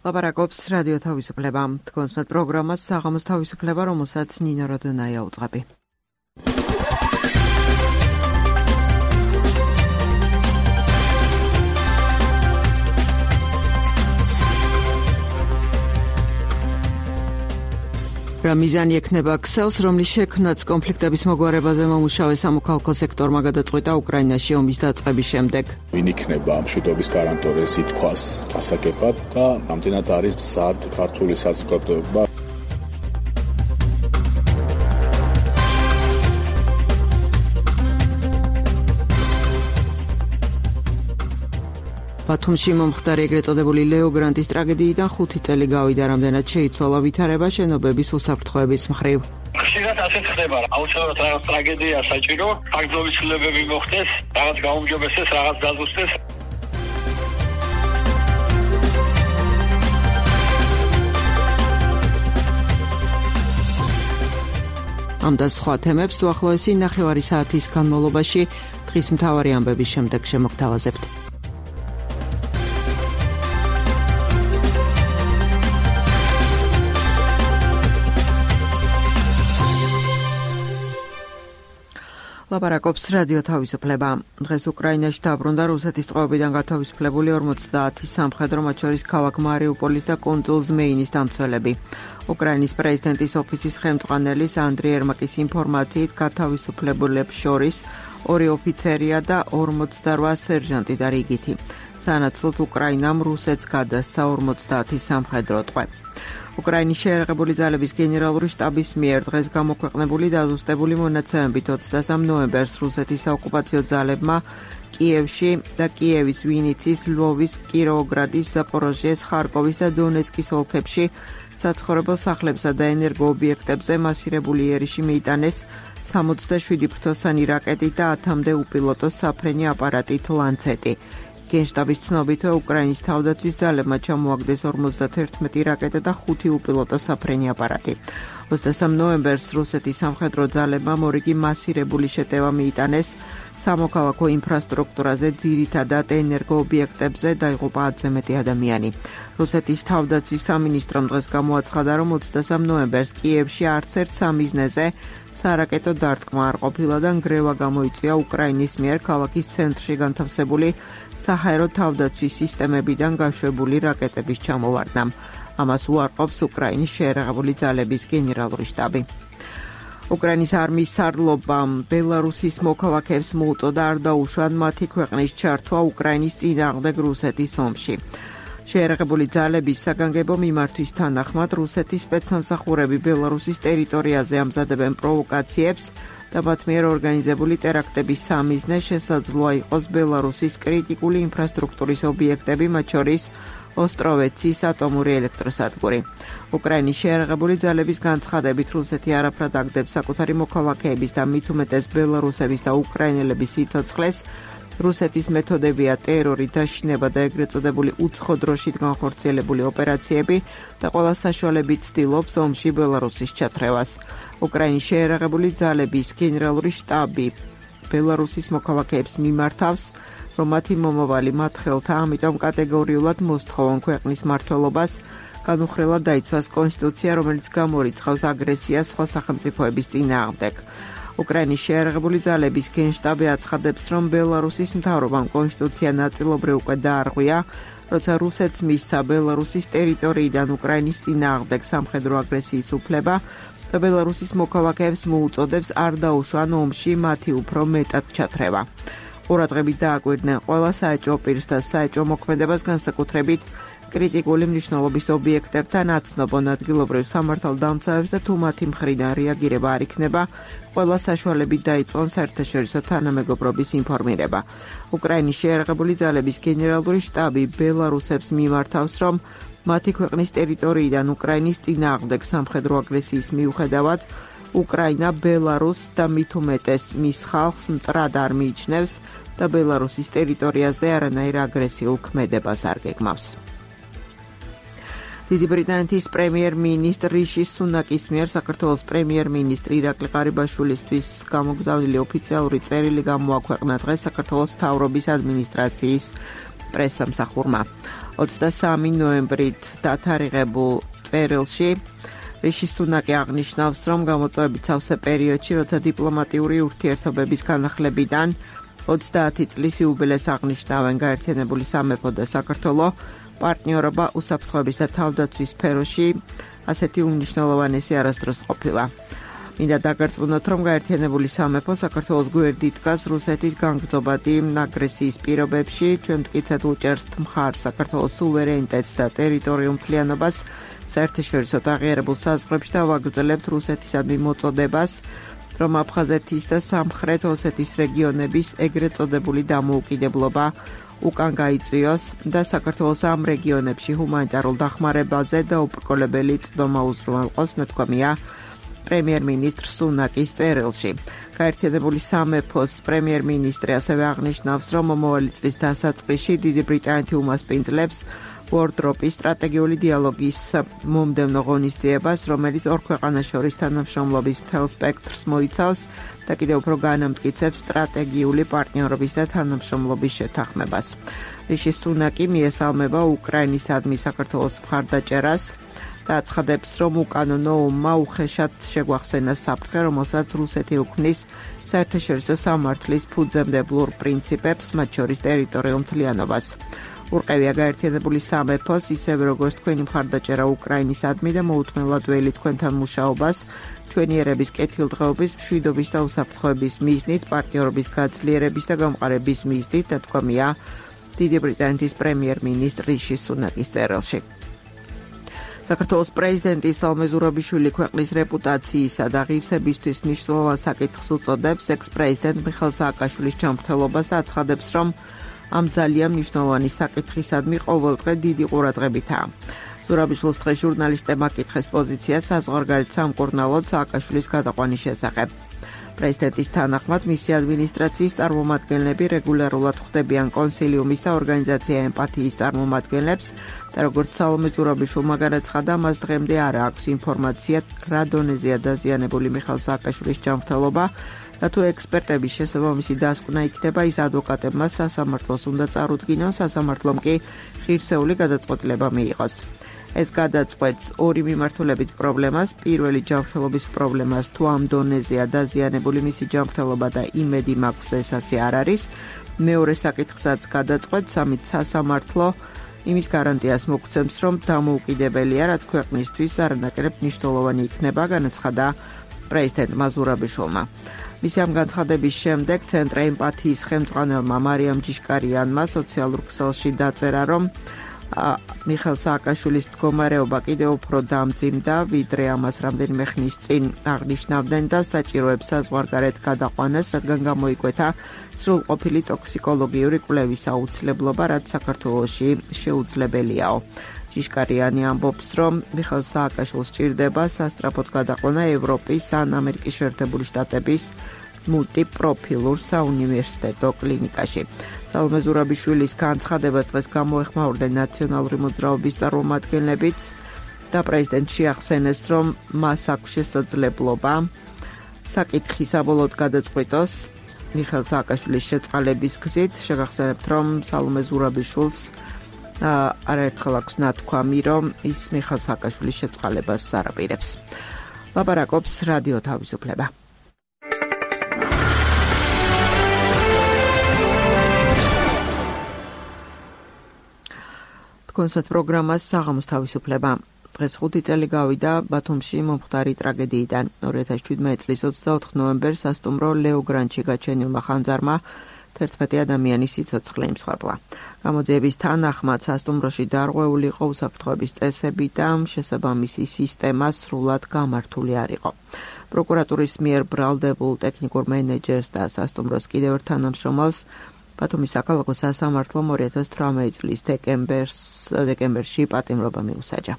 ლაპარაკობს რადიო თავისუფლება. თქვენს მათ პროგრამას საღამოს თავისუფლება, რომელსაც ნინო როდონაია უწყები. რა მიზანი ექნება ქსელს, რომლის შექმნაც კონფლიქტების მოგვარებაზე მომუშავე სამოქალაქო სექტორმა გადაწყვიტა უკრაინაში ომის დაწყების შემდეგ. ვინ იქნება მშვიდობის გარანტორი, ითქვას ასაკებად და ამდენად არის მზად ქართული საზოგადოება. ბათუმში მომხდარი ეგრეთ წოდებული ლეო გრანტის ტრაგედიიდან 5 წელი გავიდა, რამდენად შეიცვალა ვითარება შენობების უსაფრთხოების მხრივ. ხშირად ასეთ ხდება, აუცილებლად რაღაც ტრაგედია საჭირო, ფაქტობის ცვლილებები მოხდეს, რაღაც გაუმჯობესდეს, რაღაც დაზუსტდეს. ამ და სხვა თემებს უახლოესი ნახევარი საათის განმავლობაში დღის მთავარი ამბების შემდეგ შემოგთავაზებთ. ლაპარაკობს რადიო თავისუფლება. დღეს უკრაინაში დაბრუნდა რუსეთის ტყვეობიდან გათავისუფლებული 50 სამხედრო, მათ შორის ქალაქ მარიუპოლის და კუნძულ ზმეინის დამცველები. უკრაინის პრეზიდენტის ოფისის ხელმძღვანელის ანდრი ერმაკის ინფორმაციით გათავისუფლებულებს შორის 2 ოფიცერია და 48 სერჟანტი და რიგითი. სანაცვლოდ უკრაინამ რუსეთს გადასცა 50 სამხედრო ტყვე. უკრაინის შეერაღებული ძალების გენერალური შტაბის მიერ დღეს გამოქვეყნებული დაზუსტებული მონაცემებით 23 ნოემბერს რუსეთის საოკუპაციო ძალებმა კიევში და კიევის, ვინიცის, ლვოვის, კიროვოგრადის, ზაპოროჟიეს, ხარკოვის და დონეცკის ოლქებში საცხოვრებელ სახლებსა და ენერგოობიექტებზე მასირებული იერიში მიიტანეს 67 ფრთოსანი რაკეტით და 10-მდე უპილოტო საფრენი აპარატით ლანცეტი. გენშტაბის ცნობით, უკრაინის თავდაცვის ძალებმა ჩამოაგდეს 51 რაკეტა და 5 უპილოტო საფრენი აპარატი. 23 ნოემბერს რუსეთის სამხედრო ძალებმა მორიგი მასირებული შეტევა მიიტანეს სამოქალაქო ინფრასტრუქტურაზე, ძირითადად ენერგოობიექტებზე დაიღუპა 10-ზე მეტი ადამიანი. რუსეთის თავდაცვის სამინისტრომ დღეს გამოაცხადა, რომ 23 ნოემბერს კიევში არც ერთ სამიზნეზე სარაკეტო დარტყმა არ ყოფილა და ნგრევა გამოიწვია უკრაინის მიერ ქალაქის ცენტრში განთავსებული საჰაერო თავდაცვის სისტემებიდან გაშვებული რაკეტების ჩამოვარდნამ. ამას უარყოფს უკრაინის შეერაღებული ძალების გენერალური შტაბი. უკრაინის არმიის სარდლობამ ბელარუსის მოქალაქეებს მოუწოდა არ დაუშვან მათი ქვეყნის ჩართვა უკრაინის წინააღმდეგ რუსეთის ომში. შეერაღებული ძალების საგანგებო მიმართვის თანახმად რუსეთის სპეცსამსახურები ბელარუსის ტერიტორიაზე ამზადებენ პროვოკაციებს და მათ მიერ ორგანიზებული ტერაქტების სამიზნე შესაძლოა იყოს ბელარუსის კრიტიკული ინფრასტრუქტურის ობიექტები, მათ შორის ოსტროვეცის ატომური ელექტროსადგური. უკრაინის შეერაღებული ძალების განცხადებით რუსეთი არაფრად აგდებს საკუთარი მოქალაქეების და მით უმეტეს ბელარუსების და უკრაინელების სიცოცხლეს. რუსეთის მეთოდებია ტერორი, დაშინება და ეგრეთ წოდებული უცხო დროშით განხორციელებული ოპერაციები და ყველა საშუალებით ცდილობს ომში ბელარუსის ჩათრევას. უკრაინის შეერაღებული ძალების გენერალური შტაბი ბელარუსის მოქალაქეებს მიმართავს, რომ მათი მომავალი მათ ხელთა, ამიტომ კატეგორიულად მოსთხოვან ქვეყნის მმართველობას განუხრელად დაიცვას კონსტიტუცია, რომელიც გამორიცხავს აგრესიას სხვა სახელმწიფოების წინააღმდეგ. უკრაინის შეერაღებული ძალების გენშტაბი აცხადებს, რომ ბელარუსის მთავრობამ კონსტიტუცია ნაწილობრივ უკვე დაარღვია, როცა რუსეთს მისცა ბელარუსის ტერიტორიიდან უკრაინის წინააღმდეგ სამხედრო აგრესიის უფლება და ბელარუსის მოქალაქეებს მოუწოდებს არ დაუშვან ომში მათი უფრო მეტად ჩათრევა. ყურადღებით დააკვირდნენ ყველა საეჭვო პირს და საეჭვო მოქმედებას, განსაკუთრებით კრიტიკული მნიშვნელობის ობიექტებთან აცნობონ ადგილობრივ სამართალდამცავებს და თუ მათი მხრიდან რეაგირება არ იქნება, ყველა საშუალებით დაიწყონ საერთაშორისო თანამეგობრობის ინფორმირება. უკრაინის შეერაღებული ძალების გენერალური შტაბი ბელარუსებს მიმართავს, რომ მათი ქვეყნის ტერიტორიიდან უკრაინის წინააღმდეგ სამხედრო აგრესიის მიუხედავად უკრაინა ბელარუსს და მით უმეტეს მის ხალხს მტრად არ მიიჩნევს და ბელარუსის ტერიტორიაზე არანაირ აგრესიულ ქმედებას არ გეგმავს. დიდი ბრიტანეთის პრემიერ-მინისტრ რიში სუნაკის მიერ საქართველოს პრემიერ-მინისტრი ირაკლი ყარიბაშვილისთვის გამოგზავნილი ოფიციალური წერილი გამოაქვეყნა დღეს საქართველოს მთავრობის ადმინისტრაციის პრესსამსახურმა. 23 ნოემბრით დათარიღებულ წერილში რიში სუნაკი აღნიშნავს, რომ გამოწვევებით სავსე პერიოდში, როცა დიპლომატიური ურთიერთობების განახლებიდან 30 წლის იუბილეს აღნიშნავენ გაერთიანებული სამეფო და საქართველო, პარტნიორობა უსაფრთხოების და თავდაცვის სფეროში ასეთი უმნიშვნელოვანესი არასდროს ყოფილა. მინდა დაგარწმუნოთ, რომ გაერთიანებული სამეფო საქართველოს გვერდით დგას რუსეთის განგრძობადი აგრესიის პირობებში, ჩვენ მტკიცედ უჭერთ მხარს საქართველოს სუვერენიტეტს და ტერიტორიულ მთლიანობას საერთაშორისო აღიარებულ საზღვრებში და ვაგრძელებთ რუსეთისადმი მოწოდებას, რომ აფხაზეთის და სამხრეთ ოსეთის რეგიონების ეგრეთ წოდებული დამოუკიდებლობა უკან გაიწვიოს და საქართველოს ამ რეგიონებში ჰუმანიტარულ დახმარებაზე და უბრკოლებელი წვდომა უზრუნველყოს, ნათქვამია პრემიერ-მინისტრ სუნაკის წერილში. გაერთიანებული სამეფოს პრემიერ-მინისტრი ასევე აღნიშნავს, რომ მომავალი წლის დასაწყისში დიდი ბრიტანეთი უმასპინძლებს ვორდროპის სტრატეგიული დიალოგის მომდევნო ღონისძიებას, რომელიც ორ ქვეყანას შორის თანამშრომლობის მთელ სპექტრს მოიცავს და კიდევ უფრო განამტკიცებს სტრატეგიული პარტნიორობის და თანამშრომლობის შეთანხმებას. რიში სუნაკი მიესალმება უკრაინისადმი საქართველოს მხარდაჭერას და აცხადებს, რომ უკანონო ომმა უხეშად შეგვახსენა საფრთხე, რომელსაც რუსეთი უქმნის საერთაშორისო სამართლის ფუძემდებლურ პრინციპებს, მათ შორის ტერიტორიულ მთლიანობას. ურყევია გაერთიანებული სამეფოს, ისევე როგორც თქვენი მხარდაჭერა უკრაინისადმი და მოუთმენლად ველი თქვენთან მუშაობას, ჩვენი ერების კეთილდღეობის, მშვიდობის და უსაფრთხოების მიზნით, პარტნიორობის გაძლიერების და გამყარების მიზნით, ნათქვამია დიდი ბრიტანეთის პრემიერ-მინისტრ რიში სუნაკის წერილში. საქართველოს პრეზიდენტი სალომე ზურაბიშვილი ქვეყნის რეპუტაციისა და ღირსებისთვის მნიშვნელოვან საკითხს უწოდებს ექს-პრეზიდენტ მიხეილ სააკაშვილის ჯანმრთელობას და აცხადებს, რომ ამ ძალიან მნიშვნელოვანი საკითხისადმი ყოველდღე დიდი ყურადღებითაა. ზურაბიშვილს დღეს ჟურნალისტებმა აკითხეს პოზიცია საზღვარგარეთ სამკურნალოდ სააკაშვილის გადაყვანის შესახებ. პრეზიდენტის თანახმად მისი ადმინისტრაციის წარმომადგენლები რეგულარულად ხვდებიან კონსილიუმის და ორგანიზაცია ემპათიის წარმომადგენლებს და როგორც სალომე ზურაბიშვილმა განაცხადა, მას დღემდე არ აქვს ინფორმაცია, რა დონეზეა დაზიანებული მიხეილ სააკაშვილის ჯანმრთელობა და თუ ექსპერტების შესაბამისი დასკვნა იქნება, ის ადვოკატებმა სასამართლოს უნდა წარუდგინონ, სასამართლომ კი ღირსეული გადაწყვეტილება მიიღოს. ეს გადაწყვეტს ორი მიმართულებით პრობლემას, პირველი ჯანმრთელობის პრობლემას, თუ ამ დონეზეა დაზიანებული მისი ჯანმრთელობა და იმედი მაქვს ეს ასე არ არის, მეორე საკითხსაც გადაწყვეტს, ამით სასამართლო იმის გარანტიას მოგცემს, რომ დამოუკიდებელია, რაც ქვეყნისთვის არანაკლებ მნიშვნელოვანი იქნება, განაცხადა პრეზიდენტმა ზურაბიშვილმა. მისი ამ განცხადების შემდეგ ცენტრ ემპათიის ხელმძღვანელმა მარიამ ჯიშკარიანმა სოციალურ ქსელში დაწერა, რომ მიხეილ სააკაშვილის მდგომარეობა კიდევ უფრო დამძიმდა, ვიდრე ამას რამდენიმე ხნის წინ აღნიშნავდნენ და საჭიროებს საზღვარგარეთ გადაყვანას, რადგან გამოიკვეთა სრულყოფილი ტოქსიკოლოგიური კვლევის აუცილებლობა, რაც საქართველოში შეუძლებელიაო. ჯიშკარიანი ამბობს, რომ მიხეილ სააკაშვილს სჭირდება სასწრაფოდ გადაყვანა ევროპის ან ამერიკის შეერთებული შტატების მულტიპროფილურ საუნივერსიტეტო კლინიკაში. სალომე ზურაბიშვილის განცხადებას დღეს გამოეხმაურდნენ ნაციონალური მოძრაობის წარმომადგენლებიც და პრეზიდენტს შეახსენეს, რომ მას აქვს შესაძლებლობა საკითხი საბოლოოდ გადაწყვიტოს მიხეილ სააკაშვილის შეწყალების გზით. შეგახსენებთ, რომ სალომე ზურაბიშვილს არაერთხელ აქვს ნათქვამი, რომ ის მიხეილ სააკაშვილის შეწყალებას არაპირებს. ლაპარაკობს რადიო თავისუფლება. კონცერტ პროგრამას საღამოს თავისუფლება. დღეს 5 წელი გავიდა ბათუმში მომხდარი ტრაგედიიდან. 2017 წლის 24 ნოემბერს სასტუმრო ლეო გრანჩი გაჩენილმა ხანძარმა 11 ადამიანის სიცოცხლე იმსხვერპლა. გამოძიების თანახმად სასტუმროში დარღვეული იყო უსაფრთხოების წესები და შესაბამისი სისტემა სრულად გამართული არ იყო. პროკურატურის მიერ ბრალდებულ ტექნიკურ მენეჯერს და სასტუმროს კიდევ ერთ თანამშრომელს ბათუმის საქალაქო სასამართლომ 2018 წლის დეკემბერში პატიმრობა მიუსაჯა.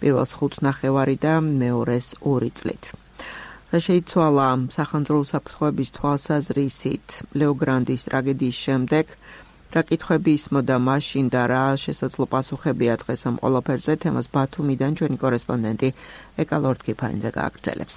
პირველს 5 ნახევარი და მეორეს 2 წლით. რა შეიცვალა სახანძრო უსაფრთხოების თვალსაზრისით ლეო გრანდის ტრაგედიის შემდეგ, რა კითხვები ისმოდა მაშინ და რა შესაძლო პასუხებია დღეს ამ ყველაფერზე, თემას ბათუმიდან ჩვენი კორესპონდენტი ეკა ლორდ-კიფანიძე გააგრძელებს.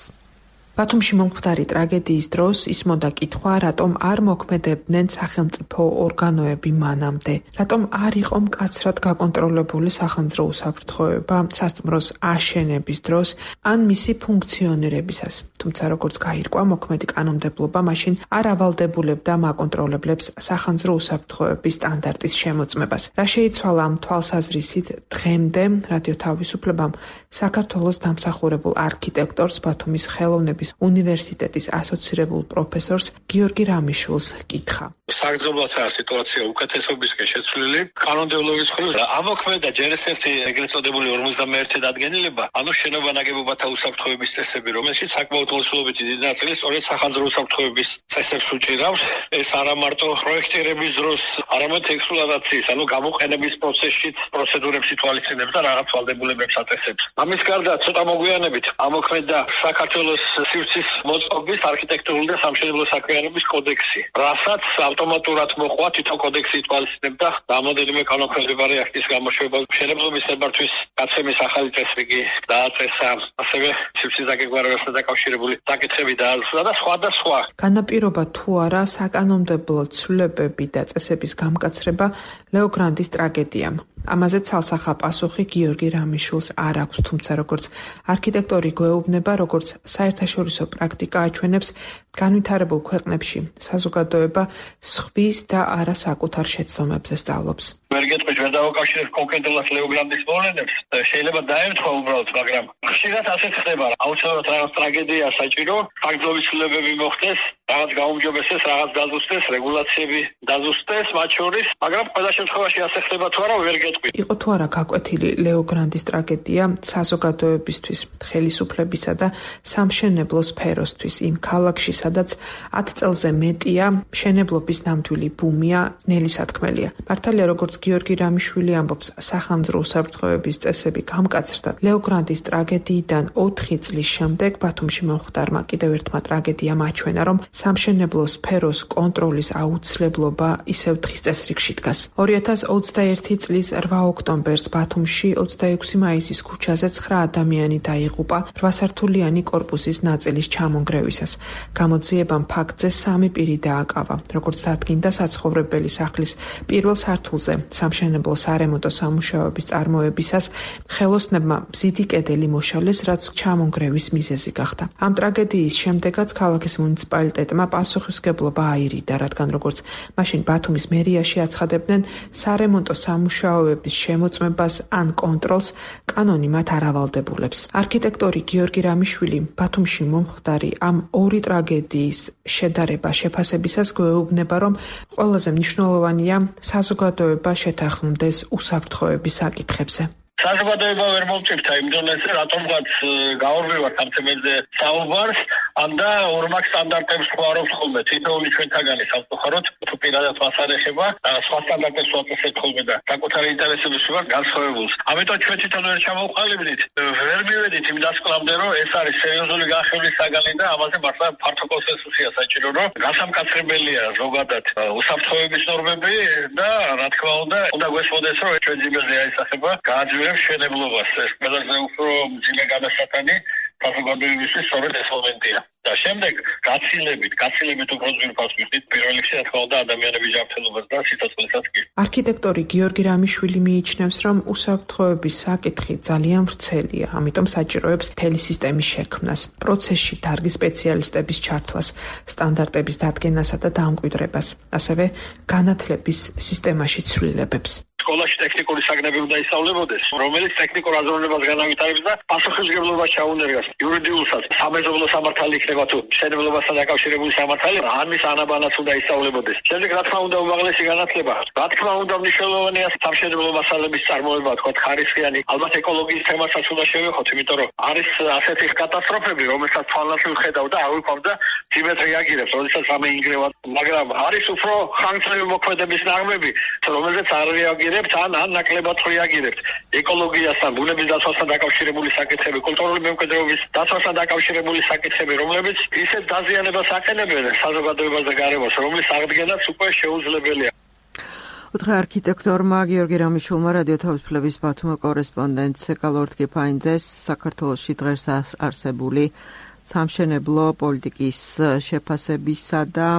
ბათუმში მომხდარი ტრაგედიის დროს ისმოდა კითხვა, რატომ არ მოქმედებდნენ სახელმწიფო ორგანოები მანამდე, რატომ არ იყო მკაცრად გაკონტროლებული სახანძრო უსაფრთხოება სასტუმროს აშენების დროს ან მისი ფუნქციონირებისას. თუმცა როგორც გაირკვა, მოქმედი კანონმდებლობა მაშინ არ ავალდებულებდა მაკონტროლებლებს სახანძრო უსაფრთხოების სტანდარტის შემოწმებას. რა შეიცვალა ამ თვალსაზრისით დღემდე რადიო თავისუფლებამ საქართველოს დამსახურებულ არქიტექტორს ბათუმის ხელოვნების უნივერსიტეტის ასოცირებულ პროფესორს გიორგი რამიშვილს კითხა. საგრძნობლადაა სიტუაცია უკეთესობისკენ შეცვლილი. კანონმდებლობის მხრივ ამოქმედა ჯერ ერთი ეგრეთ წოდებული 51 დადგენილება, ანუ შენობა ნაგებობათა უსაფრთხოების წესები, რომელშიც საკმაოდ მოცულობითი დიდი ნაწილი სწორედ სახანძრო უსაფრთხოების წესებს უჭირავს. ეს არა მარტო პროექტირების დროს, არამედ ექსპლუატაციის, ანუ გამოყენების პროცესშიც პროცედურებს ითვალისწინებს და რაღაც ვალდებულებებს აწესებს. ამის გარდა ცოტა მოგვიანებით ამოქმედა საქართველოს სივრცის მოწყობის არქიტექტურული და სამშენებლო საქმიანობის კოდექსი, რასაც ავტომატურად მოყვა თვითონ კოდექსი ითვალისწინებდა რამოდენიმე კანონქვემდებარე აქტის გამოშვება. მშენებლობის ნებართვის გაცემის ახალი წესრიგი დააწესა, ასევე სივრცის დაგეგმარებასთან დაკავშირებული საკითხები დააზუსტა და სხვა და სხვა. განაპირობა თუ არა საკანონმდებლო ცვლილებები და წესების გამკაცრება ლეოგრანდის ტრაგედიამ. ამაზე ცალსახა პასუხი გიორგი რამიშვილს არ აქვს, თუმცა როგორც არქიტექტორი გვეუბნება, როგორც საერთაშორისო პრაქტიკა აჩვენებს, განვითარებულ ქვეყნებში საზოგადოება სხვის და არა საკუთარ შეცდომებზე სწავლობს. ვერ გეტყვით, ვერ დავაკავშირებ კონკრეტულად ლეოგრანდის მოვლენებს, შეიძლება დაემთხვა უბრალოდ, მაგრამ ხშირად ასეც ხდება. აუცილებლად რაღაც ტრაგედია საჭირო, ფაქტობრივი ცვლილებები მოხდეს, რაღაც გაუმჯობესდეს, რაღაც დაზუსტდეს, რეგულაციები დაზუსტდეს მათ შორის, მაგრამ ყველა შემთხვევაში ასე ხდება თუ არა, ვერ გეტყვით. იყო თუ არა გაკვეთილი ლეოგრანდის ტრაგედია საზოგადოებისთვის, ხელისუფლებისა და სამშენებლო სფეროსთვის იმ ქალაქში, სადაც 10 წელზე მეტია მშენებლობის ნამდვილი ბუმია, ნელი სათქმელია. მართალია, როგორც გიორგი რამიშვილი ამბობს, სახანძრო უსაფრთხოების წესები გამკაცრდა. ლეოგრანდის ტრაგედიიდან 4 წლის შემდეგ ბათუმში მომხდარმა კიდევ ერთმა ტრაგედიამ აჩვენა, რომ სამშენებლო სფეროს კონტროლის აუცილებლობა ისევ დღის წესრიგში დგას. 2021 წლის 8 ოქტომბერს ბათუმში 26 მაისის ქუჩაზე 9 ადამიანი დაიღუპა 8 სართულიანი კორპუსის ნაწილის ჩამონგრევისას. გამოძიებამ ფაქტზე 3 პირი დააკავა. როგორც დადგინდა, საცხოვრებელი სახლის პირველ სართულზე სამშენებლო სარემონტო სამუშაოების წარმოებისას ხელოსნებმა მზიდი კედელი მოშალეს, რაც ჩამონგრევის მიზეზი გახდა. ამ ტრაგედიის შემდეგაც ქალაქის მუნიციპალიტეტმა პასუხისმგებლობა აირიდა, რადგან როგორც მაშინ ბათუმის მერიაში აცხადებდნენ, სარემონტო სამუშაოების შემოწმებას ან კონტროლს კანონი მათ არ ავალდებულებს. არქიტექტორი გიორგი რამიშვილი ბათუმში მომხდარი ამ ორი ტრაგედიის შედარება შეფასებისას გვეუბნება, რომ ყველაზე მნიშვნელოვანია საზოგადოება შეთანხმდეს უსაფრთხოების საკითხებზე. საზოგადოება ვერ მომწიფთა იმ დონეზე, რატომღაც გაურბივართ ამ თემებზე საუბარს, ამდა ორმაგ სტანდარტებს ხوارობს ხოლმე. თითოეული ჩვენთაგანი სამწუხაროდ თუ პირადად მას არ ეხება, სხვა სტანდარტებს უაწესებთ ხოლმე და საკუთარი ინტერესების ვარ განსხვავებულს. ამიტომ ჩვენ თვითონ ვერ ჩამოვყალიბდით, ვერ მივედით იმ დასკვნამდე, რომ ეს არის სერიოზული განხილვის საგანი და ამაზე მართლა ფართო კონსენსუსია საჭირო, რომ გასამკაცრებელია ზოგადად უსაფრთხოების ნორმები და რა თქმა უნდა გვესმოდეს, რომ ჩვენ ძიმეზე აისახება გააძვირებს მშენებლობას. ეს ყველაზე უფრო მძიმე გადასატანი საზოგადოებისთვის სწორედ ეს მომენტია. და შემდეგ გაცილებით უფრო ძვირფას ვიხდით პირველ რიგში რა თქმა უნდა ადამიანების ჯანმრთელობას და სიცოცხლესაც კი. არქიტექტორი გიორგი რამიშვილი მიიჩნევს, რომ უსაფრთხოების საკითხი ძალიან ვრცელია, ამიტომ საჭიროებს მთელი სისტემის შექმნას, პროცესში დარგის სპეციალისტების ჩართვას, სტანდარტების დადგენასა და დამკვიდრებას, ასევე განათლების სისტემაში ცვლილებებს. სკოლაში ტექნიკური საგნები უნდა ისწავლებოდეს, რომელიც ტექნიკურ აზროვნებას განავითარებს და პასუხისმგებლობას ჩაუნერგავს იურიდიულსაც. სამეზობლო სამართალი იქნება თუ მშენებლობასთან დაკავშირებული სამართალი, ამის ანაბანაც უნდა ისწავლებოდეს. შემდეგ რა თქმა უნდა უმაღლესი განათლება. რა თქმა უნდა მნიშვნელოვანია სამშენებლო მასალების წარმოება, თქვა ხარისხიანი, ალბათ ეკოლოგიის თემასაც უნდა შევეხოთ, იმიტომ რომ არის ასეთი კატასტროფები, რომელსაც თვალნათლ ვხედავ და არ ვიქვამდა თიმეთ რეაგირებს, როდესაც რამე ინგრევა, მაგრამ არის უფრო ხანგრძლივი მოქმედების ნორმები, რომელზეც არ რეაგირებს ან ნაკლებად რეაგირებთ. ეკოლოგიასთან, ბუნების დაცვასთან დაკავშირებული საკითხები, კულტურული მემკვიდრეობის დაცვასთან დაკავშირებული საკითხები, რომლებიც ისეთ დაზიანებას აყენებენ საზოგადოებას და გარემოს, რომლის აღდგენაც უკვე შეუძლებელია. უთხრა არქიტექტორმა გიორგი რამიშვილმა რადიო თავისუფლების ბათუმის კორესპონდენტ სეკალორთკიფაინძეს საქართველოში დღეს არსებული სამშენებლო პოლიტიკის შეფასებისა და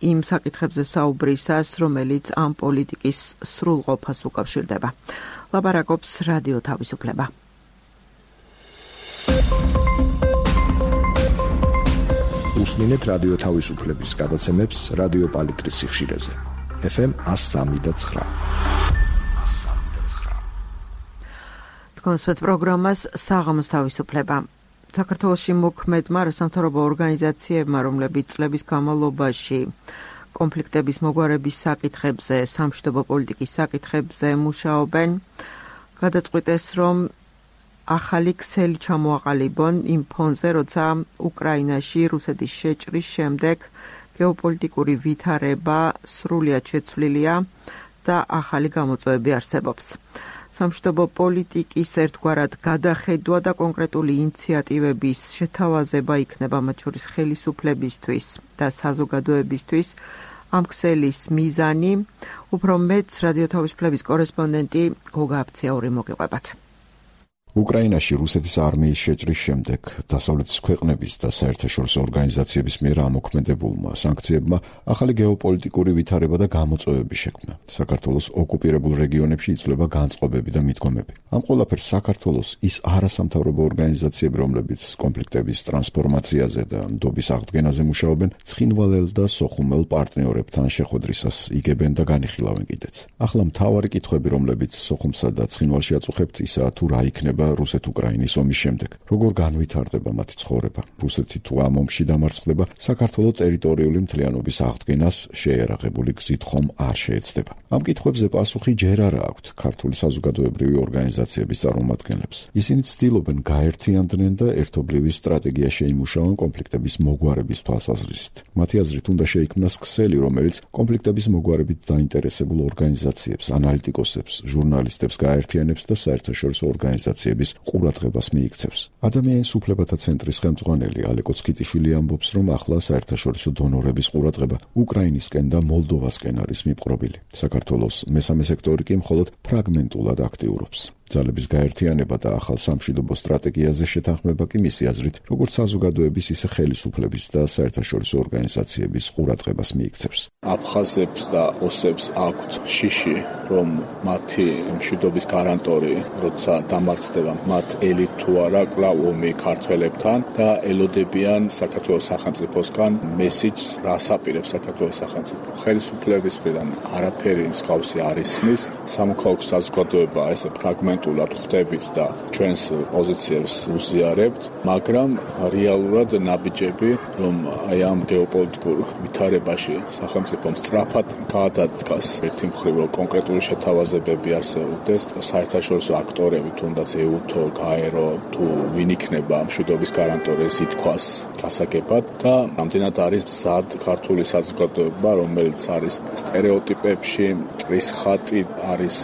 იმ საკითხებზე საუბრისას, რომელიც ამ პოლიტიკის სრულყოფას უკავშირდება. ლაპარაკობს რადიო თავისუფლება. უსმინეთ რადიო თავისუფლების გადაცემებს რადიო პალიტრის სიხშირეზე. FM 103.9. თქვენს პროგრამას საღამოს თავისუფლება. საქართველოში მოქმედმა რასამთავრობო ორგანიზაციებმა, რომლებიც წლების განმავლობაში კონფლიქტების მოგვარების საკითხებზე, სამშვიდობო პოლიტიკის საკითხებზე მუშაობენ, გადაწყვიტეს, რომ ახალი ქსელი ჩამოაყალიბონ იმ ფონზე, როცა უკრაინაში რუსეთის შეჭრის შემდეგ გეოპოლიტიკური ვითარება სრულიად შეცვლილია და ახალი გამოწვევები არსებობს. სამშვიდობო პოლიტიკის ერთგვარად გადახედვა და კონკრეტული ინიციატივების შეთავაზება იქნება მათ შორის ხელისუფლებისთვის და საზოგადოებისთვის ამ ქსელის მიზანი. უფრო მეც რადიო თავისუფლების კორესპონდენტი გოგა აფციური მოგიყვებათ. უკრაინაში რუსეთის არმიის შეჭრის შემდეგ დასავლეთის ქვეყნების და საერთაშორისო ორგანიზაციების მიერ ამოქმედებულმა სანქციებმა ახალი გეოპოლიტიკური ვითარება და გამოწვევები შექმნა. საქართველოს ოკუპირებულ რეგიონებში იცვლება განწყობები და მიდგომები. ამ ყველაფერს საქართველოს ის არასამთავრობო ორგანიზაციები, რომლებიც კონფლიქტების ტრანსფორმაციაზე და ნდობის აღდგენაზე მუშაობენ, ცხინვალელ და სოხუმელ პარტნიორებთან შეხვედრისას იგებენ და განიხილავენ კიდეც. ახლა მთავარი კითხვები, რომლებიც სოხუმსა და ცხინვალში აწუხებთ, ისაა თუ რა იქნება რუსეთ-უკრაინის ომის შემდეგ. როგორ განვითარდება მათი ცხოვრება? რუსეთი თუ ამ ომში დამარცხდება, საქართველოს ტერიტორიული მთლიანობის აღდგენას შეერაღებული გზით ხომ არ შეეცდება? ამ კითხვებზე პასუხი ჯერ არა აქვთ ქართული საზოგადოებრივი ორგანიზაციების წარმომადგენლებს. ისინი ცდილობენ გაერთიანდნენ და ერთობლივი სტრატეგია შეიმუშაონ კონფლიქტების მოგვარების თვალსაზრისით. მათი აზრით უნდა შეიქმნას ქსელი, რომელიც კონფლიქტების მოგვარებით დაინტერესებულ ორგანიზაციებს, ანალიტიკოსებს, ჟურნალისტებს გაერთიანებს და საერთაშორისო ორგანიზაციებს ყურადღებას მიიქცევს. ადამიანის უფლებათა ცენტრის ხელმძღვანელი ალეკო ცკიტიშვილი ამბობს, რომ ახლა საერთაშორისო დონორების ყურადღება უკრაინისკენ და მოლდოვასკენ არის მიპყრობილი. საქართველოს მესამე სექტორი კი მხოლოდ ფრაგმენტულად აქტიურობს. ძალების გაერთიანება და ახალ სამშვიდობო სტრატეგიაზე შეთანხმება კი მისი აზრით, როგორც საზოგადოების, ისე ხელისუფლების და საერთაშორისო ორგანიზაციების ყურადღებას მიიქცევს. აფხაზებს და ოსებს აქვთ შიში, რომ მათი მშვიდობის გარანტორი, როცა დამარცხდება, მათ ელით თუ არა კვლავ ომი ქართველებთან და ელოდებიან საქართველოს სახელმწიფოსგან მესიჯს, რას აპირებს საქართველოს სახელმწიფო. ხელისუფლების მხრიდან არაფერი მსგავსი არ ისმის, სამოქალაქო საზოგადოება ესე ფრაგმენტულად ხვდებით და ჩვენს პოზიციებს უზიარებთ, მაგრამ რეალურად ნაბიჯები, რომ აი ამ გეოპოლიტიკურ ვითარებაში სახელმწიფომ სწრაფად გაადადგას ერთი მხრივ, რომ კონკრეტული შეთავაზებები არსებობდეს, საერთაშორისო აქტორები, თუნდაც ეუთო, გაერო, თუ ვინ იქნება მშვიდობის გარანტორის ითქვას გასაგებად და რამდენად არის მზად ქართული საზოგადოება, რომელიც არის სტერეოტიპებში, მტრის ხატი არის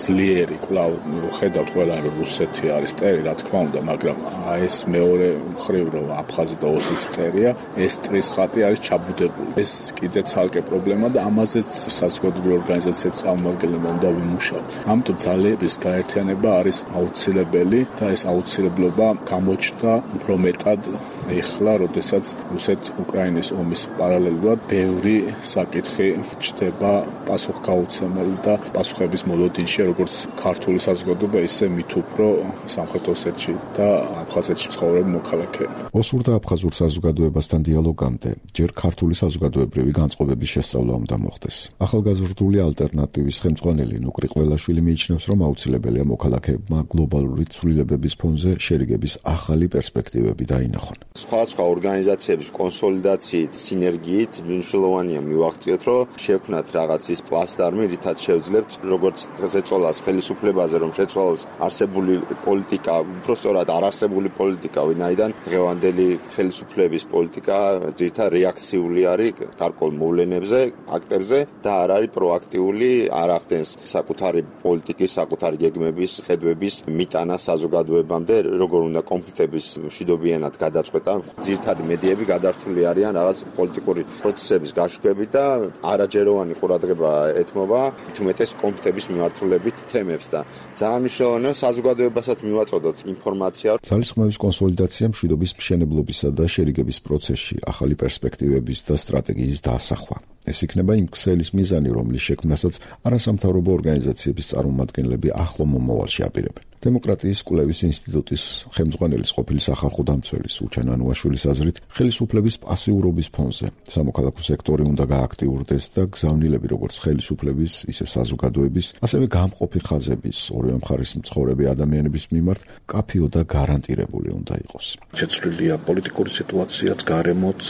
ძლიერი, კვლავ ხედავთ ყველა, რომ რუსეთი არის მტერი, რა თქმა უნდა, მაგრამ ეს მეორე მხრივ, რომ აფხაზი და ოსიც მტერია, ეს მტრის ხატი არის ჩაბუდებული. ეს კიდე ცალკე პრობლემა და ამაზეც საზოგადოებრივი ორგანიზაციების წარმომადგენლებმა უნდა ვიმუშაოთ. ამიტომ ძალების გაერთიანება არის აუცილებელი და ეს აუცილებლობა გამოჩნდა უფრო მეტად ეხლა, როდესაც რუსეთ-უკრაინის ომის პარალელურად ბევრი საკითხი ჩნდება პასუხგაუცემელი და პასუხების მოლოდინში, როგორც ქართული საზოგადოება, ისე მით უფრო სამხრეთ ოსეთში და აფხაზეთში მცხოვრები მოქალაქეები. ოსურ და აფხაზურ საზოგადოებასთან დიალოგამდე ჯერ ქართული საზოგადოებრივი განწყობების შესწავლა უნდა მოხდეს. ახალგაზრდული ალტერნატივის ხელმძღვანელი ნუკრი ყველაშვილი მიიჩნევს, რომ აუცილებელია მოქალაქეებმა გლობალური ცვლილებების ფონზე შერიგების ახალი პერსპექტივები დაინახონ. სხვადასხვა ორგანიზაციების კონსოლიდაციით, სინერგიით მნიშვნელოვანია მივაღწიოთ, რომ შევქმნათ რაღაც ის პლატფორმი, რითაც შევძლებთ როგორც შეცვალას ხელისუფლებაზე, რომ შეცვალოს არსებული პოლიტიკა, უბრალოდ არარსებული პოლიტიკა, ვინაიდან დღევანდელი ხელისუფლების პოლიტიკა ძირითადად რეაქციული არის გარკვეულ მოვლენებზე, აქტებზე და არ არის პროაქტიული, არ ახდენს საკუთარი პოლიტიკის, საკუთარი გეგმების, ხედვების მიტანა საზოგადოებამდე, როგორ უნდა კონფლიქტების მშვიდობიანად გადაწყვეტა ცოტა ძირითადი მედიები გადართული არიან რაღაც პოლიტიკური პროცესების გაშვებით და არაჯეროვანი ყურადღება ეთმობა თუმეტეს კონფლიქტების მიმართულებით თემებს და ძალიან მნიშვნელოვანია საზოგადოებასაც მივაწოდოთ ინფორმაცია. ძალისხმევის კონსოლიდაცია მშვიდობის მშენებლობისა და შერიგების პროცესში ახალი პერსპექტივების და სტრატეგიის დაასახვა. ეს იქნება იმ ქსელის მიზანი, რომლის შექმნასაც არასამთავრობო ორგანიზაციების წარმომადგენლები ახლო მომავალში აპირებენ. დემოკრატიის კვლევის ინსტიტუტის ხელმძღვანელის ყოფილი სახალხო დამცველის უჩან ანუაშვილის აზრით, ხელისუფლების პასიურობის ფონზე სამოქალაქო სექტორი უნდა გააქტიურდეს და გზავნილები როგორც ხელისუფლების, ისე საზოგადოების, ასევე გამყოფი ხაზების, ორივე მხარის მცხოვრები ადამიანების მიმართ კაფიო და გარანტირებული უნდა იყოს. შეცვლილია პოლიტიკური სიტუაციაც, გარემოც,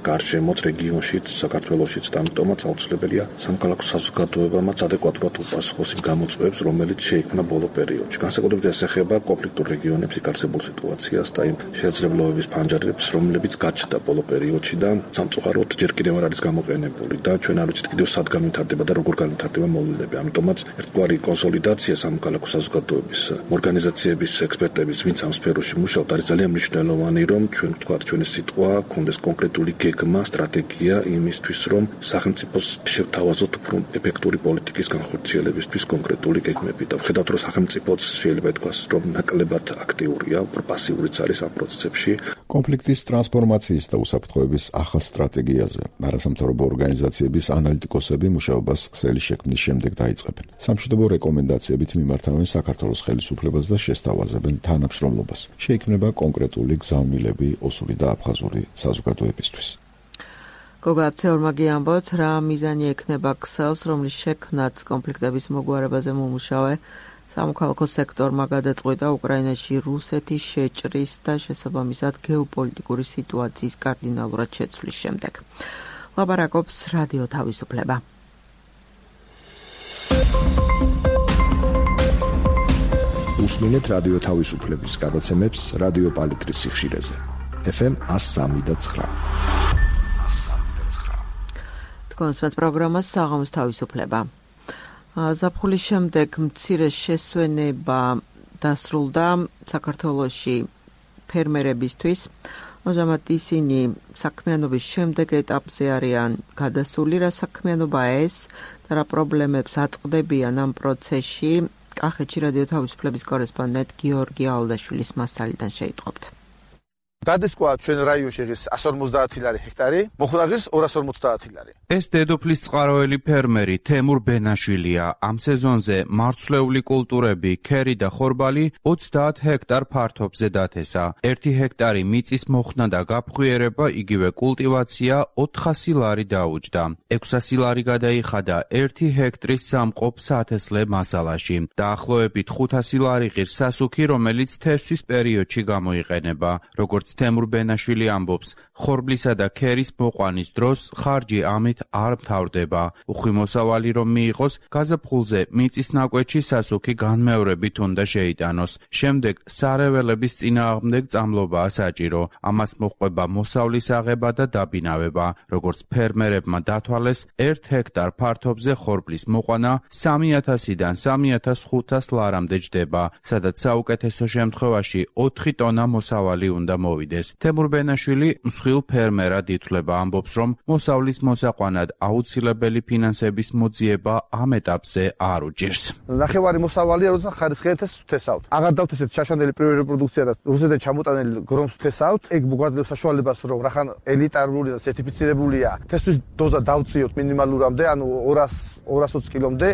გარშემოც, რეგიონშიც, საქართველოშიც და ამიტომაც აუცილებელია სამოქალაქო საზოგადოებამაც ადეკვატურად უპასუხოს იმ გამოწვევებს, რომელიც შეიქმნა ბოლო პერიოდში. განსაკუთრებით ეს ეხება კონფლიქტურ რეგიონებს, იქ არსებულ სიტუაციას და იმ შესაძლებლობების ფანჯარებს, რომლებიც გაჩნდა ბოლო პერიოდში და სამწუხაროდ ჯერ კიდევ არ არის გამოყენებული და ჩვენ არ ვიცით კიდევ სად განვითარდება და როგორ განვითარდება მოვლენები. ამიტომაც ერთგვარი კონსოლიდაცია სამოქალაქო საზოგადოების ორგანიზაციების ექსპერტების, ვინც ამ სფეროში მუშაობთ, არის ძალიან მნიშვნელოვანი, რომ ჩვენ ვთქვათ, ჩვენი სიტყვა კონდეს კონკრეტული გეგმა, სტრატეგია იმისთვის, რომ სახელმწიფოს შევთავაზოთ უფრო ეფექტური პოლიტიკის განხორციელებისთვის კონკრეტული გეგმები და ვხედავთ, რომ სახელმწიფოც შეიძლება ითქვას, რომ ნაკლებად აქტიურია, უფრო პასიურიც არის ამ პროცესებში. კონფლიქტის ტრანსფორმაციის და უსაფრთხოების ახალ სტრატეგიაზე არასამთავრობო ორგანიზაციების ანალიტიკოსები მუშაობას ქსელის შექმნის შემდეგ დაიწყებენ. სამშვიდობო რეკომენდაციებით მიმართავენ საქართველოს ხელისუფლებას და შესთავაზებენ თანამშრომლობას. შეიქმნება კონკრეტული გზავნილები ოსური და აფხაზური საზოგადოებისთვის. გოგა აფცეორმაგი ამბობთ, რა მიზანი ექნება ქსელს, რომლის შექმნაც კონფლიქტების მოგვარებაზე მომუშავე სამოქალაქო სექტორმა გადაწყვიტა უკრაინაში რუსეთის შეჭრის და შესაბამისად გეოპოლიტიკური სიტუაციის კარდინალურად შეცვლის შემდეგ. ლაპარაკობს რადიო თავისუფლება. უსმინეთ რადიო თავისუფლების გადაცემებს რადიო პალიტრის სიხშირეზე. FM 103.9. კონსვენთ პროგრამას საღამოს თავისუფლება. ზაფხულის შემდეგ მცირე შესვენება დასრულდა საქართველოში ფერმერებისთვის. ამჟამად ისინი საქმიანობის შემდეგ ეტაპზე არიან გადასული, რა საქმიანობაა ეს და რა პრობლემებს აწყდებიან ამ პროცესში. კახეთში რადიო თავისუფლების კორესპონდენტ გიორგი ალდაშვილის მასალიდან შეიტყობთ. გადასკვა ჩვენ რაიონში ღირს 150 ლარი ჰექტარი, მოხდა ღირს 250 ლარი. ეს დედოფლის წყაროელი ფერმერი თემურ ბენაშვილია. ამ სეზონზე მარცვლეული კულტურები, ქერი და ხორბალი 30 ჰექტარ ფართობზე დათესა. 1 ჰექტარი მიწის მოხსნა და გაფხვიერება, იგივე კულტივაცია 400 ლარი დაუჯდა. 600 ლარი გადაიხადა 1 ჰექტრის სამყოფ საათესლე მასალაში. დაახლოებით 500 ლარი ღირს სასუქი, რომელიც თესვის პერიოდში გამოიყენება. როგორც თემურ ბენაშვილი ამბობს, ხორბლისა და ქერის მოყვანის დროს ხარჯი ამით არ მთავრდება. უხვი მოსავალი რომ მიიღოს, გაზაფხულზე მიწის ნაკვეთში სასუქი განმეორებით უნდა შეიტანოს. შემდეგ სარეველების წინააღმდეგ წამლობაა საჭირო. ამას მოჰყვება მოსავლის აღება და დაბინავება. როგორც ფერმერებმა დათვალეს, 1 ჰექტარ ფართობზე ხორბლის მოყვანა 3000-დან 3500 ლარამდე ჯდება, სადაც საუკეთესო შემთხვევაში 4 ტონა მოსავალი უნდა მოვიდეს. თემურ ბენაშვილი მსხვილ ფერმერად ითვლება, ამბობს, რომ მოსავლის მოსაყვანად აუცილებელი ფინანსების მოძიება ამ ეტაპზე არ უჭირს. ნახევარი მოსავალია, როცა ხარისხიან თესავთ. აღარ დავთესეთ შაშანდელი პირველი რეპროდუქცია და რუსეთიდან ჩამოტანილი გრომს თესავთ. ეგ მოგვაძლევს საშუალებას, რომ რახან ელიტარული და სერტიფიცირებულია თესვის დოზა დავწიოთ მინიმალურამდე, ანუ 220 კილომდე.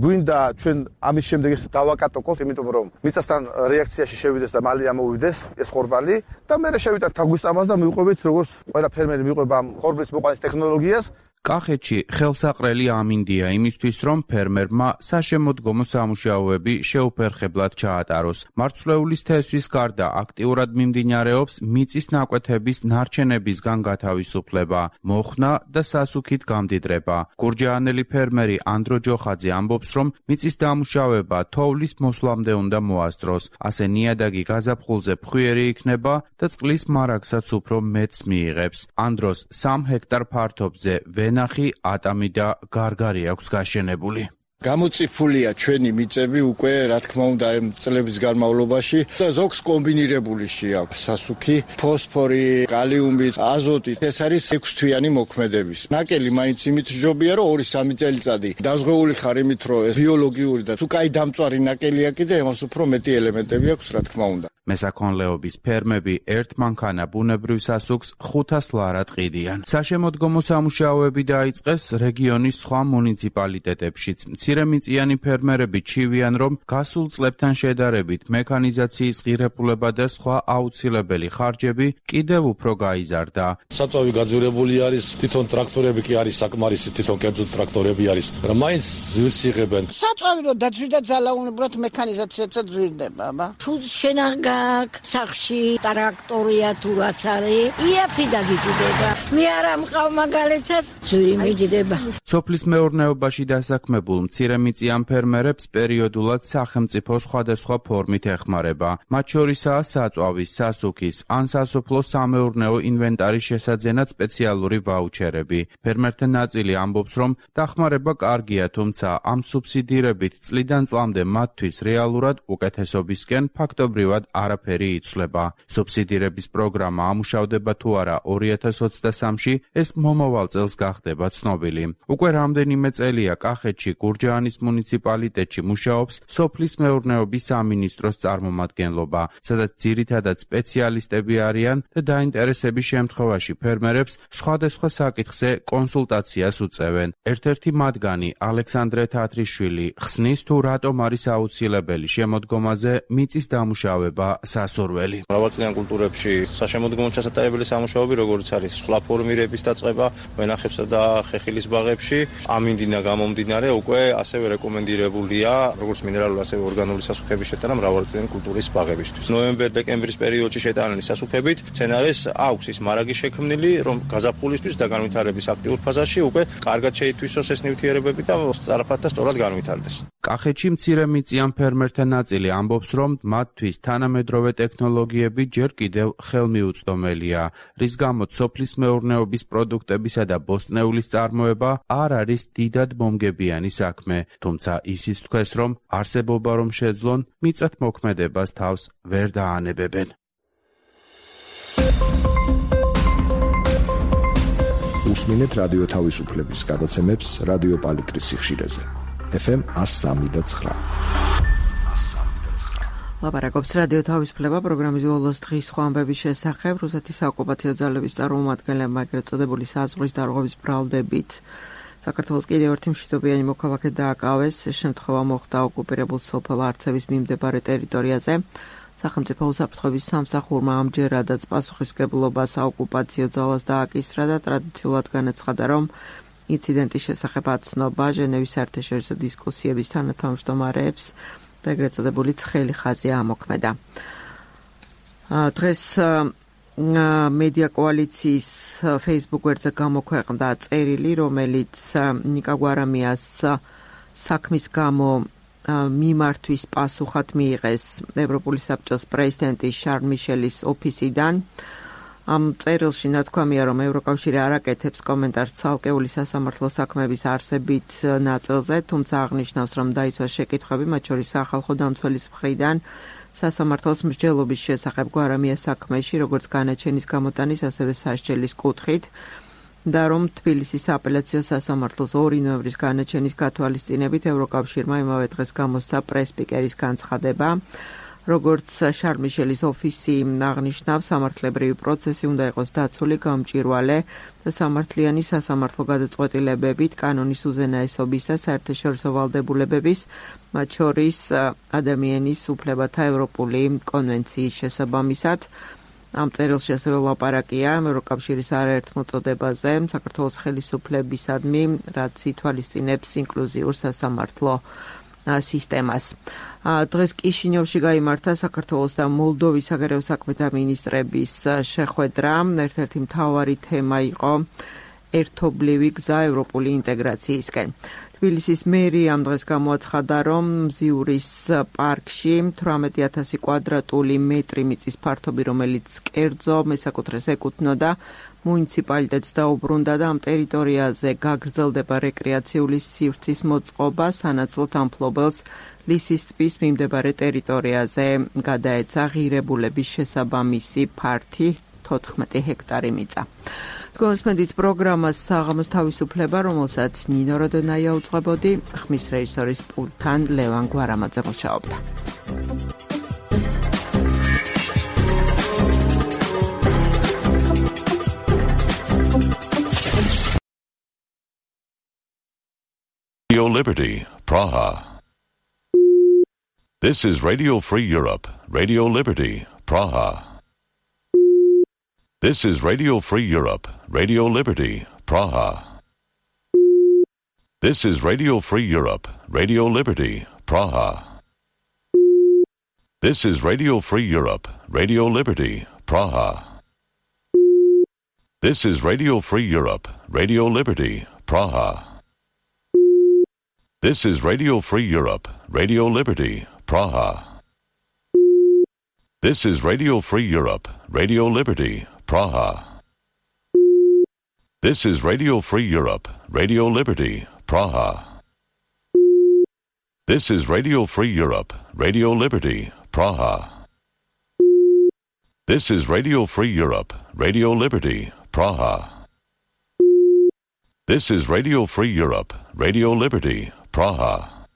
გვინდა ჩვენ ამის შემდეგ ეს დავაკატოკოთ, იმიტომ რომ მიწასთან რეაქციაში შევიდეს და მალე ამოვიდეს ეს ხორბალი და მე შევიტანთ თაგვისწამას და მივყვებით როგორც ყველა ფერმერი მივყვება ხორბლის მოყვანის ტექნოლოგიას. კახეთში ხელსაყრელი ამინდია იმისთვის, რომ ფერმერმა საშემოდგომო სამუშაოები შეუფერხებლად ჩაატაროს. მარცვლეულის თესვის გარდა აქტიურად მიმდინარეობს მიწის ნაკვეთების ნარჩენებისგან გათავისუფლება, მოხსნა და სასუქით გამდიდრება. გურჯაანელი ფერმერი ანდრო ჯოხაძე ამბობს, რომ მიწის დამუშავება თოვლის მოსვლამდე უნდა მოასწროს. ასე ნიადაგი გაზაფხულზე ფხვიერი იქნება და წყლის მარაგსაც უფრო მეტს მიიღებს. ანდროს 3 ჰექტარ ფართობზე ნახი, ატამი და გარგარი აქვს გაშენებული. გამოწიფულია ჩვენი მიწები უკვე, რა თქმა უნდა, ამ წლების განმავლობაში და ზოგს კომბინირებული აქვს სასუქი, ფოსფორი, კალიუმი, აზოტი. ეს არის 6 თვიანი მოქმედების. ნაკელი მაინც იმით ჯობია, რომ 2-3 წელიწადი დაზღვეული ხარ იმით, რომ ეს ბიოლოგიური და თუ კაი დამწვარი ნაკელია კიდე, ამას უფრო მეტი ელემენტები აქვს, რა თქმა უნდა. მესაქონლეობის ფერმები ერთ მანქანა ბუნებრივ სასუქს 500 ლარად ყიდიან. საშემოდგომო სამუშაოები დაიწყეს რეგიონის სხვა მუნიციპალიტეტებშიც. მცირემიწიანი ფერმერები ჩივიან, რომ გასულ წლებთან შედარებით მექანიზაციის ღირებულება და სხვა აუცილებელი ხარჯები კიდევ უფრო გაიზარდა. საწვავი გაძვირებული არის, თვითონ ტრაქტორები კი არის საკმარისი, თვითონ კერძო ტრაქტორები არის, მაგრამ მაინც ძვირს იღებენ. საწვავი რომ დაძვირდა ძალაუნებურად მექანიზაციებსაც ძვირდება, თუ შენაღ სახში ტრაქტორია თუ რაც არის, იაფი დაგიჭდება. მე არ ამყავ მაგალითად, ძვირი მიჭდება. სოფლის მეურნეობაში დასაქმებულ მცირემიწიან ფერმერებს პერიოდულად სახელმწიფო სხვადასხვა ფორმით ეხმარება. მათ შორისაა საწვავის, სასუქის ან სასოფლო სამეურნეო ინვენტარის შესაძენად სპეციალური ვაუჩერები. ფერმერთა ნაწილი ამბობს, რომ დახმარება კარგია, თუმცა ამ სუბსიდირებით წლიდან წლამდე მათთვის რეალურად უკეთესობისკენ ფაქტობრივად არაფერი იცვლება. სუბსიდირების პროგრამა ამუშავდება თუ არა 2023-ში, ეს მომავალ წელს გახდება ცნობილი. უკვე რამდენიმე წელია კახეთში გურჯაანის მუნიციპალიტეტში მუშაობს სოფლის მეურნეობის სამინისტროს წარმომადგენლობა, სადაც ძირითადად სპეციალისტები არიან და დაინტერესების შემთხვევაში ფერმერებს სხვადასხვა საკითხზე კონსულტაციას უწევენ. ერთ-ერთი მათგანი ალექსანდრე თათრიშვილი ხსნის თუ რატომ არის აუცილებელი შემოდგომაზე მიწის დამუშავება სასურველი. მრავალწლიან კულტურებში საშემოდგომო ჩასატარებელი სამუშაოები, როგორც არის სხვა ფორმირების დაწყება, ვენახებსა და ხეხილის ბაღებში, ამინდინა გამომდინარე უკვე ასევე რეკომენდირებულია, როგორც მინერალური, ასევე ორგანული სასუქების შეტანა მრავალწლიანი კულტურის ბაღებისთვის. ნოემბერ-დეკემბრის პერიოდში შეტანილი სასუქებით სცენარეს აქვს ის მარაგი შექმნილი, რომ გაზაფხულისთვის და განვითარების აქტიურ ფაზაში უკვე კარგად შეითვისოს ეს ნივთიერებები და სწრაფად და სწორად განვითარდეს. კახეთში მცირემიწიან ფერმერთა ნაწილი ამბობს, რომ მათთვის თანამედროვე ტექნოლოგიები ჯერ კიდევ ხელმიუწვდომელია, რის გამოც სოფლის მეურნეობის პროდუქტებისა და ბოსტნეულის წარმოება არ არის დიდად მომგებიანი საქმე, თუმცა ისიც თქვეს, რომ არსებობა რომ შეძლონ, მიწათმოქმედებას თავს ვერ დაანებებენ. უსმინეთ რადიო თავისუფლების გადაცემებს რადიო პალიტრის სიხშირეზე. FM 103.9. ლაპარაკობს რადიო თავისუფლება პროგრამის ბოლოს დღის სხვა ამბების შესახებ. რუსეთის საოკუპაციო ძალების წარმომადგენლებმა ეგრეთ წოდებული საზღვრის დარღვევის ბრალდებით საქართველოს კიდევ ერთი მშვიდობიანი მოქალაქე დააკავეს. ეს შემთხვევა მოხდა ოკუპირებულ სოფელ არცევის მიმდებარე ტერიტორიაზე. სახელმწიფო უსაფრთხოების სამსახურმა ამჯერადაც პასუხისმგებლობა საოკუპაციო ძალას დააკისრა და ტრადიციულად განაცხადა, რომ ინციდენტის შესახებ აცნობა ჟენევის საერთაშორისო დისკუსიების თანათავმჯდომარეებს და ეგრეთ წოდებული ცხელი ხაზი ამოქმედა. დღეს მედია კოალიციის Facebook გვერდზე გამოქვეყნდა წერილი, რომელიც ნიკა გვარამიას საქმის გამო მიმართვის პასუხად მიიღეს ევროპული საბჭოს პრეზიდენტის შარლ მიშელის ოფისიდან. ამ წერილში ნათქვამია, რომ ევროკავშირი არ აკეთებს კომენტარს ცალკეული სასამართლო საქმეების არსებით ნაწილზე, თუმცა აღნიშნავს, რომ დაიცვა შეკითხვები, მათ შორის სახალხო დამცველის მხრიდან სასამართლოს მსჯელობის შესახებ გვარამიას საქმეში, როგორც განაჩენის გამოტანის, ასევე სასჯელის კუთხით, და რომ თბილისის აპელაციო სასამართლოს 2 ნოემბრის განაჩენის გათვალისწინებით ევროკავშირმა იმავე დღეს გამოსცა პრეს-სპიკერის განცხადება. როგორც შარლ მიშელის ოფისი აღნიშნავს, სამართლებრივი პროცესი უნდა იყოს დაცული, გამჭვირვალე და სამართლიანი სასამართლო გადაწყვეტილებებით კანონის უზენაესობის და საერთაშორისო ვალდებულებების, მათ შორის ადამიანის უფლებათა ევროპული კონვენციის შესაბამისად. ამ წერილში ასევე ლაპარაკია ევროკავშირის არაერთ მოწოდებაზე საქართველოს ხელისუფლებისადმი, რაც ითვალისწინებს ინკლუზიურ სასამართლო სისტემას. დღეს კიშინიოვში გაიმართა საქართველოს და მოლდოვის საგარეო საქმეთა მინისტრების შეხვედრა. ერთ-ერთი მთავარი თემა იყო ერთობლივი გზა ევროპული ინტეგრაციისკენ. თბილისის მერი ამ დღეს გამოაცხადა, რომ მზიურის პარკში 18,000 კვადრატული მეტრი მიწის ფართობი, რომელიც კერძო მესაკუთრეს ეკუთვნოდა, მუნიციპალიტეტს დაუბრუნდა და ამ ტერიტორიაზე გაგრძელდება რეკრეაციული სივრცის მოწყობა, სანაცვლოდ ამ მფლობელს ლისის ტბის მიმდებარე ტერიტორიაზე გადაეცა ღირებულების შესაბამისი ფართი 14 ჰექტარი მიწა. Გონსმენდით პროგრამას საღამოს თავისუფლება, რომელსაც ნინო როდონაია უძღვებოდი, ხმის რეჟისორის პულტთან ლევან გვარამაძე მუშაობდა. Radio Liberty, Praha. This is Radio Free Europe, Radio Liberty, Praha. This is Radio Free Europe, Radio Liberty, Praha. This is Radio Free Europe, Radio Liberty, Praha. This is Radio Free Europe, Radio Liberty, Praha. This is Radio Free Europe, Radio Liberty, Praha. This is Radio Free Europe, Radio Liberty, Praha. This is Radio Free Europe, Radio Liberty, Praha. This is Radio Free Europe, Radio Liberty, Praha. This is Radio Free Europe, Radio Liberty, Praha. This is Radio Free Europe, Radio Liberty, Praha. This is Radio Free Europe, Radio Liberty, Praha.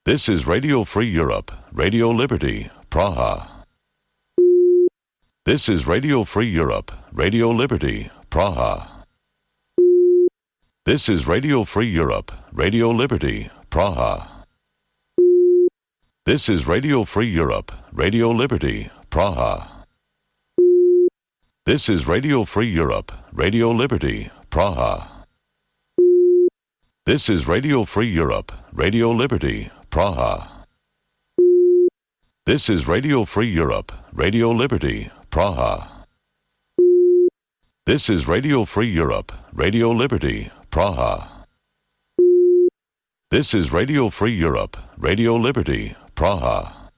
This is Radio Free Europe, Radio Liberty, Praha. This is Radio Free Europe, Radio Liberty, Praha. This is Radio Free Europe, Radio Liberty, Praha. This is Radio Free Europe, Radio Liberty, Praha. This is Radio Free Europe, Radio Liberty, Praha. This is Radio Free Europe, Radio Liberty, Praha. This is Radio Free Europe, Radio Liberty, Praha. This is Radio Free Europe, Radio Liberty, Praha.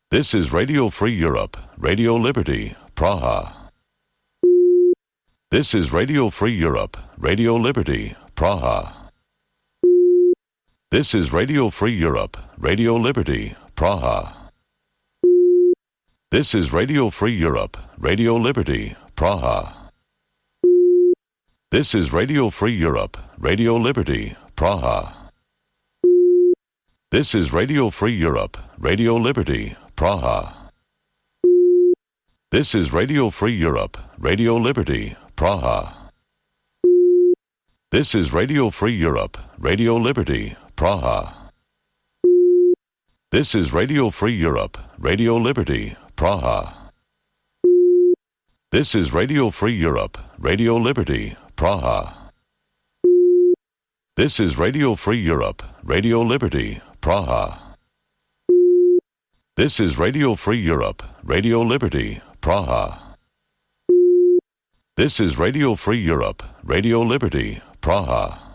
This is Radio Free Europe, Radio Liberty, Praha. This is Radio Free Europe, Radio Liberty, Praha. This is Radio Free Europe, Radio Liberty, Praha. This is Radio Free Europe, Radio Liberty, Praha. This is Radio Free Europe, Radio Liberty, Praha. This is Radio Free Europe, Radio Liberty, Praha. This is Radio Free Europe, Radio Liberty, Praha. This is Radio Free Europe, Radio Liberty, Praha. This is Radio Free Europe, Radio Liberty, Praha. This is Radio Free Europe, Radio Liberty, Praha. This is Radio Free Europe, Radio Liberty, Praha. This is Radio Free Europe, Radio Liberty, Praha. This is Radio Free Europe, Radio Liberty, Praha. This is Radio Free Europe, Radio Liberty, Praha.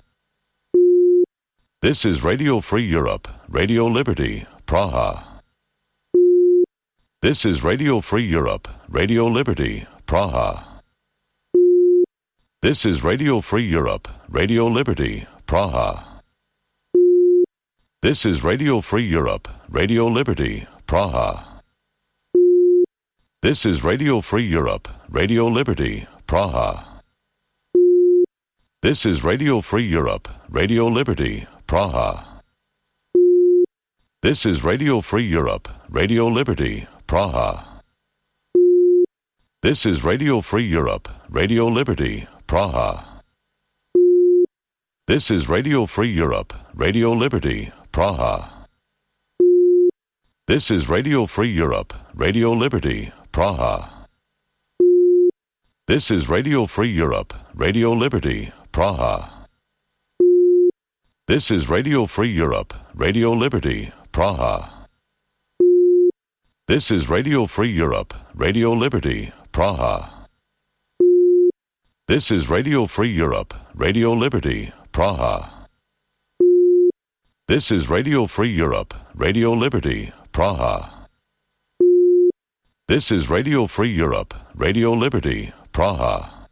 This is Radio Free Europe, Radio Liberty, Praha. This is Radio Free Europe, Radio Liberty, Praha. This is Radio Free Europe, Radio Liberty, Praha. This is Radio Free Europe, Radio Liberty, Praha. This is Radio Free Europe, Radio Liberty, Praha. This is Radio Free Europe, Radio Liberty, Praha. This is Radio Free Europe, Radio Liberty, Praha. This is Radio Free Europe, Radio Liberty, Praha. This is Radio Free Europe, Radio Liberty, Praha. This is Radio Free Europe, Radio Liberty, Praha. This is Radio Free Europe, Radio Liberty, Praha. This is Radio Free Europe, Radio Liberty, Praha. This is Radio Free Europe, Radio Liberty, Praha. This is Radio Free Europe, Radio Liberty, Praha. This is Radio Free Europe, Radio Liberty, Praha. This is Radio Free Europe, Radio Liberty, Praha.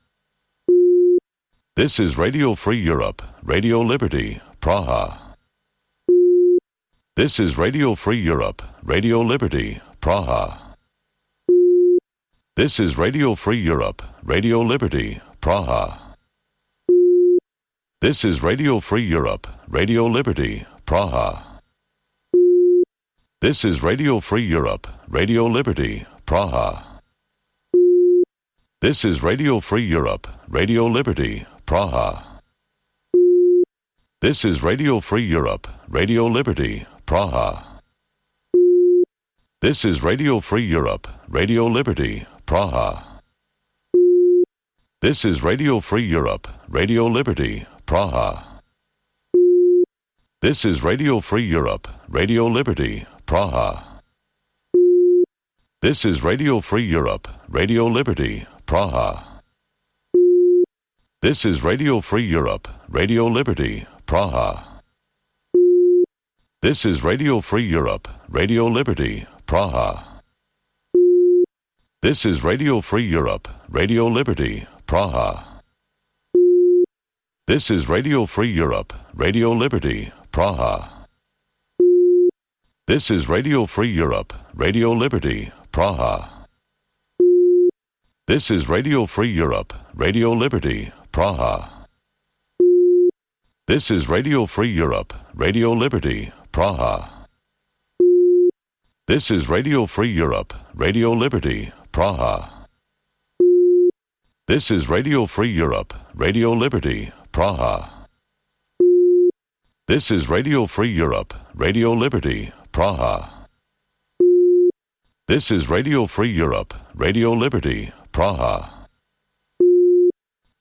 This is Radio Free Europe, Radio Liberty, Praha. This is Radio Free Europe, Radio Liberty, Praha. This is Radio Free Europe, Radio Liberty, Praha. This is Radio Free Europe, Radio Liberty, Praha. This is Radio Free Europe, Radio Liberty, Praha. This is Radio Free Europe, Radio Liberty, Praha. This is Radio Free Europe, Radio Liberty, Praha. This is Radio Free Europe, Radio Liberty, Praha. This is Radio Free Europe, Radio Liberty, Praha. This is Radio Free Europe, Radio Liberty, Praha. This is Radio Free Europe, Radio Liberty, Praha. This is Radio Free Europe, Radio Liberty, Praha. This is Radio Free Europe, Radio Liberty, Praha. This is Radio Free Europe, Radio Liberty, Praha. This is Radio Free Europe, Radio Liberty, Praha. This is Radio Free Europe, Radio Liberty, Praha. This is Radio Free Europe, Radio Liberty, Praha. This is Radio Free Europe, Radio Liberty, Praha. This is Radio Free Europe, Radio Liberty, Praha. This is Radio Free Europe, Radio Liberty, Praha. This is Radio Free Europe, Radio Liberty, Praha. This is Radio Free Europe, Radio Liberty, Praha.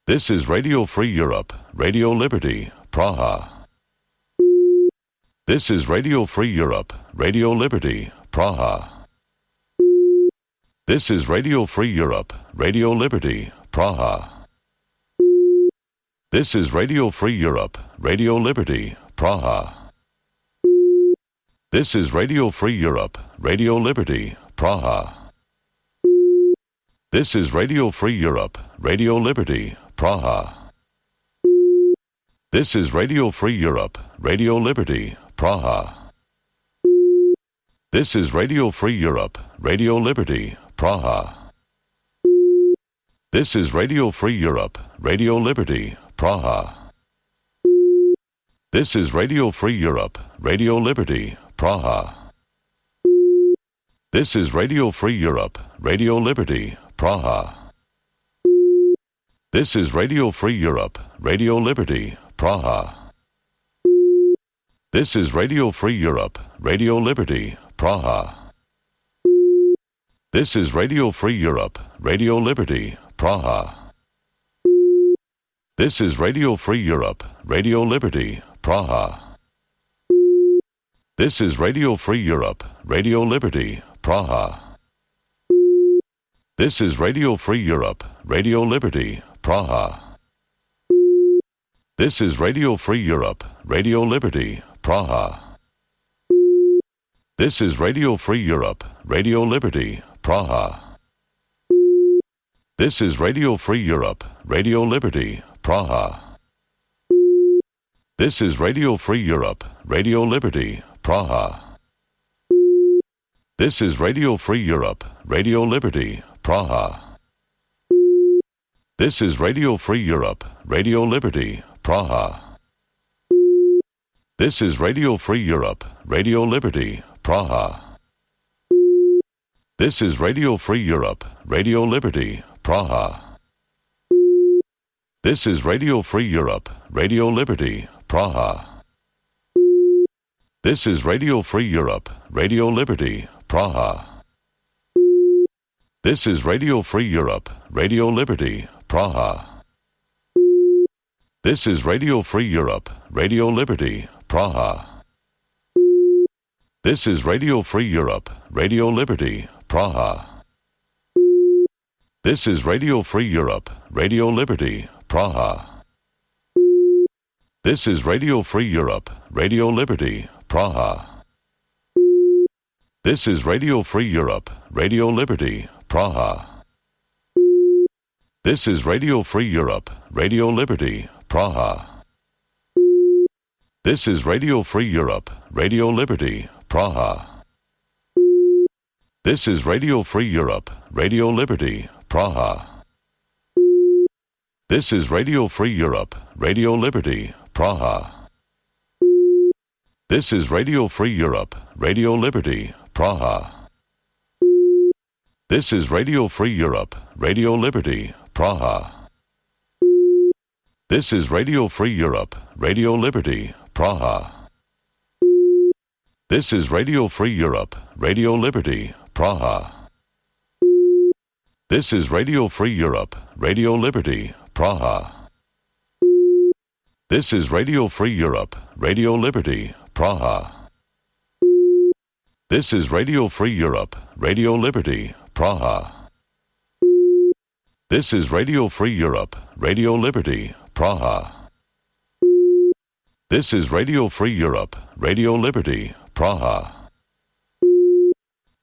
This is Radio Free Europe, Radio Liberty, Praha. This is Radio Free Europe, Radio Liberty, Praha. This is Radio Free Europe, Radio Liberty, Praha. This is Radio Free Europe, Radio Liberty, Praha. This is Radio Free Europe, Radio Liberty, Praha. This is Radio Free Europe, Radio Liberty, Praha. This is Radio Free Europe, Radio Liberty, Praha. This is Radio Free Europe, Radio Liberty, Praha. This is Radio Free Europe, Radio Liberty, Praha. This is Radio Free Europe, Radio Liberty, Praha. This is Radio Free Europe, Radio Liberty, Praha. This is Radio Free Europe, Radio Liberty, Praha. This is Radio Free Europe, Radio Liberty, Praha. This is Radio Free Europe, Radio Liberty, Praha. This is Radio Free Europe, Radio Liberty, Praha. This is Radio Free Europe, Radio Liberty, Praha. This is Radio Free Europe, Radio Liberty, Praha. This is Radio Free Europe, Radio Liberty, Praha. This is Radio Free Europe, Radio Liberty, Praha. This is Radio Free Europe, Radio Liberty, Praha. This is Radio Free Europe, Radio Liberty, Praha. This is Radio Free Europe, Radio Liberty, Praha. This is Radio Free Europe, Radio Liberty, Praha. This is Radio Free Europe, Radio Liberty, Praha. This is Radio Free Europe, Radio Liberty, Praha. This is Radio Free Europe, Radio Liberty, Praha. This is Radio Free Europe, Radio Liberty, Praha. This is Radio Free Europe, Radio Liberty, Praha. This is Radio Free Europe, Radio Liberty, Praha. This is Radio Free Europe, Radio Liberty, Praha. This is Radio Free Europe, Radio Liberty, Praha. This is Radio Free Europe, Radio Liberty, Praha. This is Radio Free Europe, Radio Liberty, Praha. This is Radio Free Europe, Radio Liberty, Praha. This is Radio Free Europe, Radio Liberty, Praha. This is Radio Free Europe, Radio Liberty, Praha. This is Radio Free Europe, Radio Liberty, Praha. This is Radio Free Europe, Radio Liberty, Praha. This is Radio Free Europe, Radio Liberty, Praha. This is Radio Free Europe, Radio Liberty, Praha. This is Radio Free Europe, Radio Liberty, Praha. This is Radio Free Europe, Radio Liberty, Praha. This is Radio Free Europe, Radio Liberty, Praha. This is Radio Free Europe, Radio Liberty, Praha. This is Radio Free Europe, Radio Liberty, Praha. This is Radio Free Europe, Radio Liberty, Praha.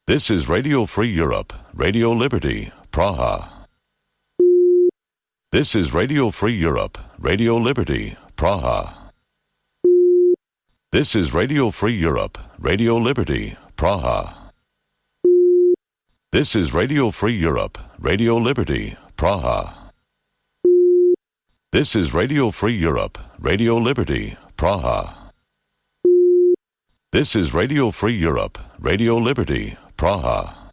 This is Radio Free Europe, Radio Liberty, Praha. This is Radio Free Europe, Radio Liberty, Praha. This is Radio Free Europe, Radio Liberty, Praha. This is Radio Free Europe, Radio Liberty, Praha. This is Radio Free Europe, Radio Liberty, Praha. This is Radio Free Europe, Radio Liberty, Praha.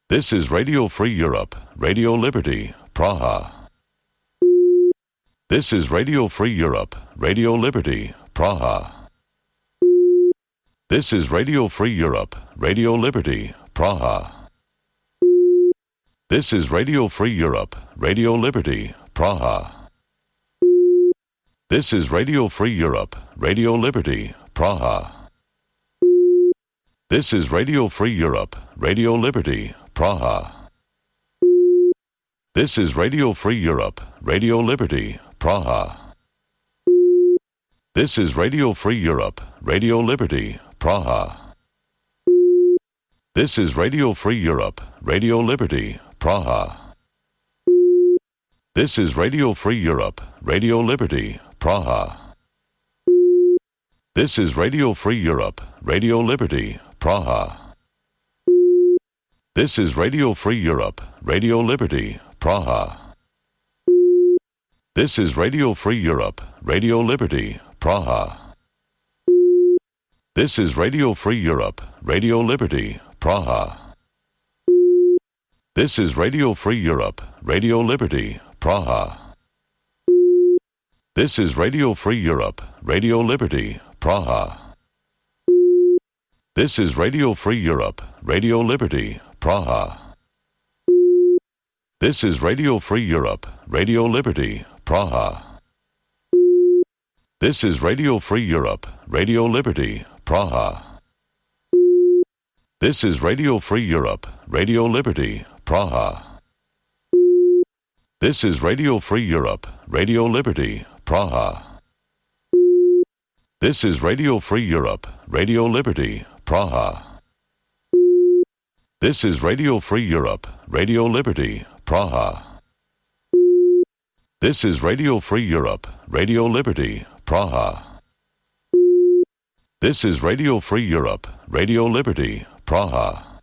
This is Radio Free Europe, Radio Liberty, Praha. This is Radio Free Europe, Radio Liberty, Praha. This is Radio Free Europe, Radio Liberty, Praha. This is Radio Free Europe, Radio Liberty, Praha. This is Radio Free Europe, Radio Liberty, Praha. This is Radio Free Europe, Radio Liberty, Praha. This is Radio Free Europe, Radio Liberty, Praha. This is Radio Free Europe, Radio Liberty, Praha. This is Radio Free Europe, Radio Liberty, Praha. This is Radio Free Europe, Radio Liberty, Praha. This is Radio Free Europe, Radio Liberty, Praha. This is Radio Free Europe, Radio Liberty, Praha. This is Radio Free Europe, Radio Liberty, Praha. This is Radio Free Europe, Radio Liberty, Praha. This is Radio Free Europe, Radio Liberty, Praha. This is Radio Free Europe, Radio Liberty, Praha. This is Radio Free Europe, Radio Liberty, Praha. This is Radio Free Europe, Radio Liberty, Praha. This is Radio Free Europe, Radio Liberty, Praha. This is Radio Free Europe, Radio Liberty, Praha. This is Radio Free Europe, Radio Liberty, Praha. This is Radio Free Europe, Radio Liberty, Praha. This is Radio Free Europe, Radio Liberty, Praha. This is Radio Free Europe, Radio Liberty, Praha. This is Radio Free Europe, Radio Liberty, Praha.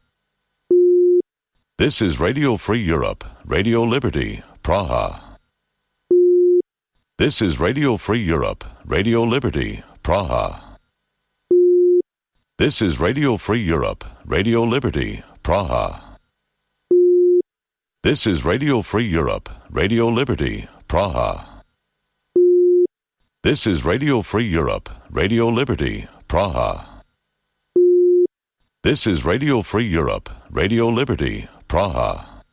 This is Radio Free Europe, Radio Liberty, Praha. This is Radio Free Europe, Radio Liberty, Praha. This is Radio Free Europe, Radio Liberty, Praha. This is Radio Free Europe, Radio Liberty, Praha. This is Radio Free Europe, Radio Liberty, Praha. This is Radio Free Europe, Radio Liberty, Praha.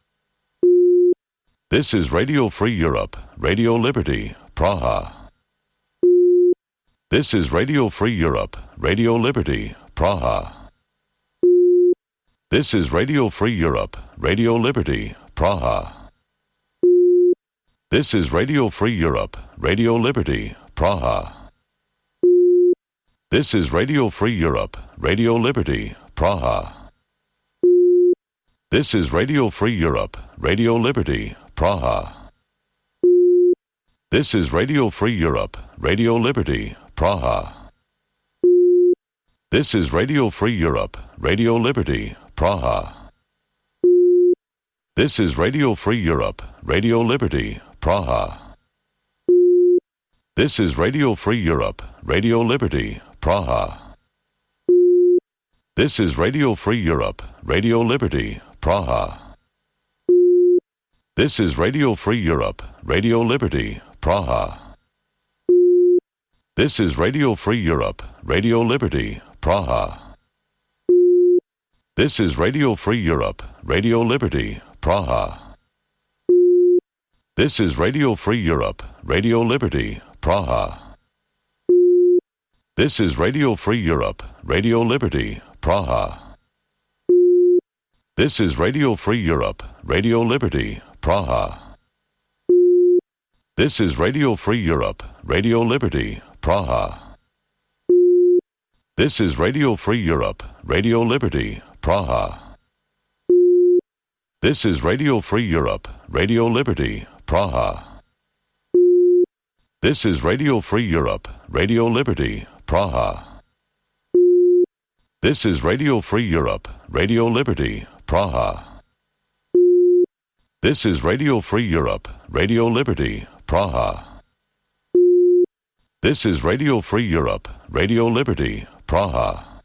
This is Radio Free Europe, Radio Liberty, Praha. This is Radio Free Europe, Radio Liberty, Praha. This is Radio Free Europe, Radio Liberty, Praha. This is Radio Free Europe, Radio Liberty, Praha. This is Radio Free Europe, Radio Liberty, Praha. This is Radio Free Europe, Radio Liberty, Praha. This is Radio Free Europe, Radio Liberty, Praha. This is Radio Free Europe, Radio Liberty, Praha. This is Radio Free Europe, Radio Liberty, Praha. This is Radio Free Europe, Radio Liberty, Praha. This is Radio Free Europe, Radio Liberty, Praha. This is Radio Free Europe, Radio Liberty, Praha. This is Radio Free Europe, Radio Liberty, Praha. This is Radio Free Europe, Radio Liberty, Praha. This is Radio Free Europe, Radio Liberty, Praha. This is Radio Free Europe, Radio Liberty, Praha. This is Radio Free Europe, Radio Liberty, Praha. This is Radio Free Europe, Radio Liberty, Praha. This is Radio Free Europe, Radio Liberty, Praha. This is Radio Free Europe, Radio Liberty, Praha. This is Radio Free Europe, Radio Liberty, Praha. This is Radio Free Europe, Radio Liberty, Praha. This is Radio Free Europe, Radio Liberty, Praha. This is Radio Free Europe, Radio Liberty, Praha.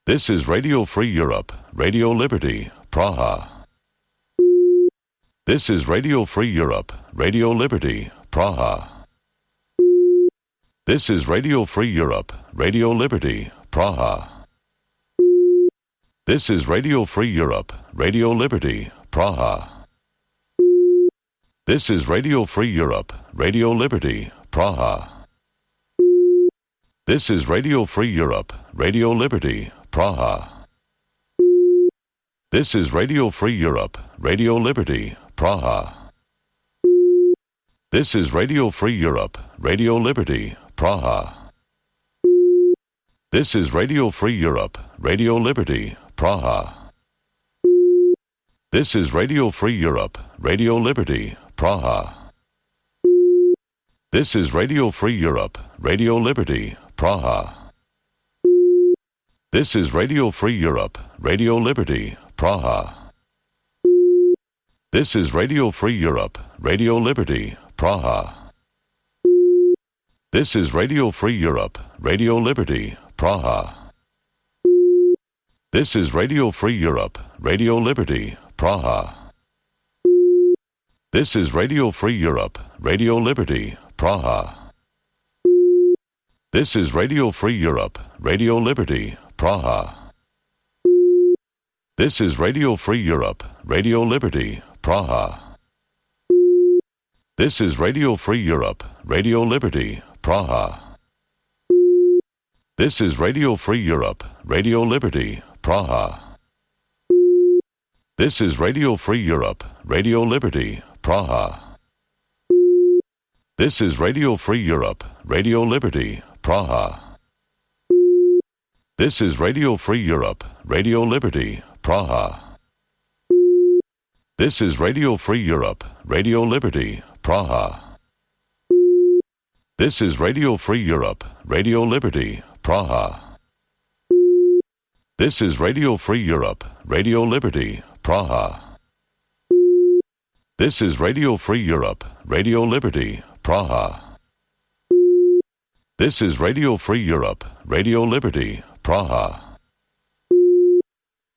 This is Radio Free Europe, Radio Liberty, Praha. This is Radio Free Europe, Radio Liberty, Praha. This is Radio Free Europe, Radio Liberty, Praha. This is Radio Free Europe, Radio Liberty, Praha. This is Radio Free Europe, Radio Liberty, Praha. This is Radio Free Europe, Radio Liberty, Praha. This is Radio Free Europe, Radio Liberty, Praha. This is Radio Free Europe, Radio Liberty, Praha. This is Radio Free Europe, Radio Liberty, Praha. This is Radio Free Europe, Radio Liberty, Praha. This is Radio Free Europe, Radio Liberty, Praha. This is Radio Free Europe, Radio Liberty, Praha. This is Radio Free Europe, Radio Liberty, Praha. This is Radio Free Europe, Radio Liberty, Praha. This is Radio Free Europe, Radio Liberty, Praha. This is Radio Free Europe, Radio Liberty, Praha. This is Radio Free Europe, Radio Liberty, Praha. This is Radio Free Europe, Radio Liberty, Praha. This is Radio Free Europe, Radio Liberty, Praha. This is Radio Free Europe, Radio Liberty, Praha. This is Radio Free Europe, Radio Liberty, Praha. This is Radio Free Europe, Radio Liberty, Praha. This is Radio Free Europe, Radio Liberty, Praha. This is Radio Free Europe, Radio Liberty, Praha. This is Radio Free Europe, Radio Liberty, Praha. This is Radio Free Europe, Radio Liberty, Praha. This is Radio Free Europe, Radio Liberty, Praha. This is Radio Free Europe, Radio Liberty, Praha.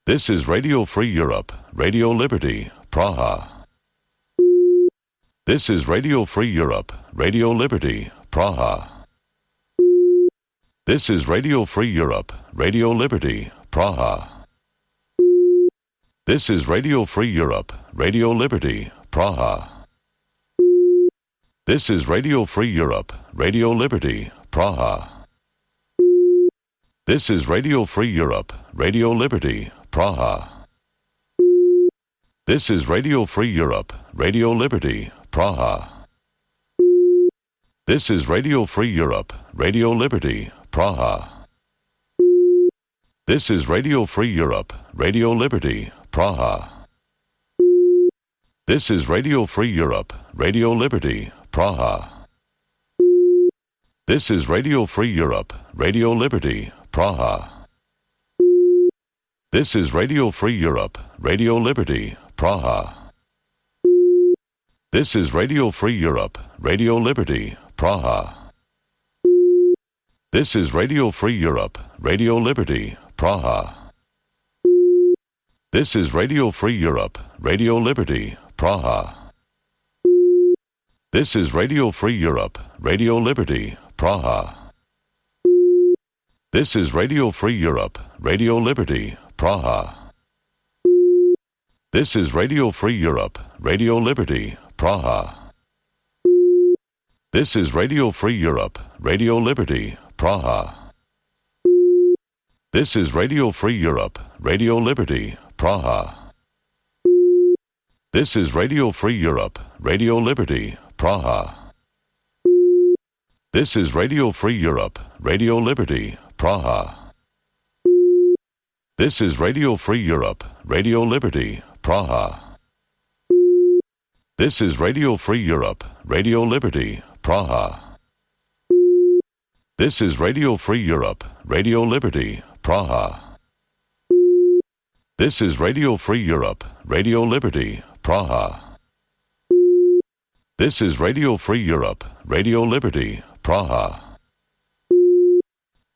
This is Radio Free Europe, Radio Liberty, Praha. This is Radio Free Europe, Radio Liberty, Praha. This is Radio Free Europe, Radio Liberty, Praha. This is Radio Free Europe, Radio Liberty, Praha. This is Radio Free Europe, Radio Liberty, Praha. This is Radio Free Europe, Radio Liberty, Praha. This is Radio Free Europe, Radio Liberty, Praha. This is Radio Free Europe, Radio Liberty, Praha. This is Radio Free Europe, Radio Liberty, Praha. This is Radio Free Europe, Radio Liberty, Praha. This is Radio Free Europe, Radio Liberty, Praha. This is Radio Free Europe, Radio Liberty, Praha. This is Radio Free Europe, Radio Liberty, Praha. This is Radio Free Europe, Radio Liberty, Praha. This is Radio Free Europe, Radio Liberty, Praha. This is Radio Free Europe, Radio Liberty, Praha. This is Radio Free Europe, Radio Liberty, Praha. This is Radio Free Europe, Radio Liberty, Praha. This is Radio Free Europe, Radio Liberty, Praha. This is Radio Free Europe, Radio Liberty, Praha. This is Radio Free Europe, Radio Liberty, Praha. This is Radio Free Europe, Radio Liberty, Praha. This is Radio Free Europe, Radio Liberty, Praha. This is Radio Free Europe, Radio Liberty, Praha. This is Radio Free Europe, Radio Liberty, Praha. This is Radio Free Europe, Radio Liberty, Praha. This is Radio Free Europe, Radio Liberty, Praha.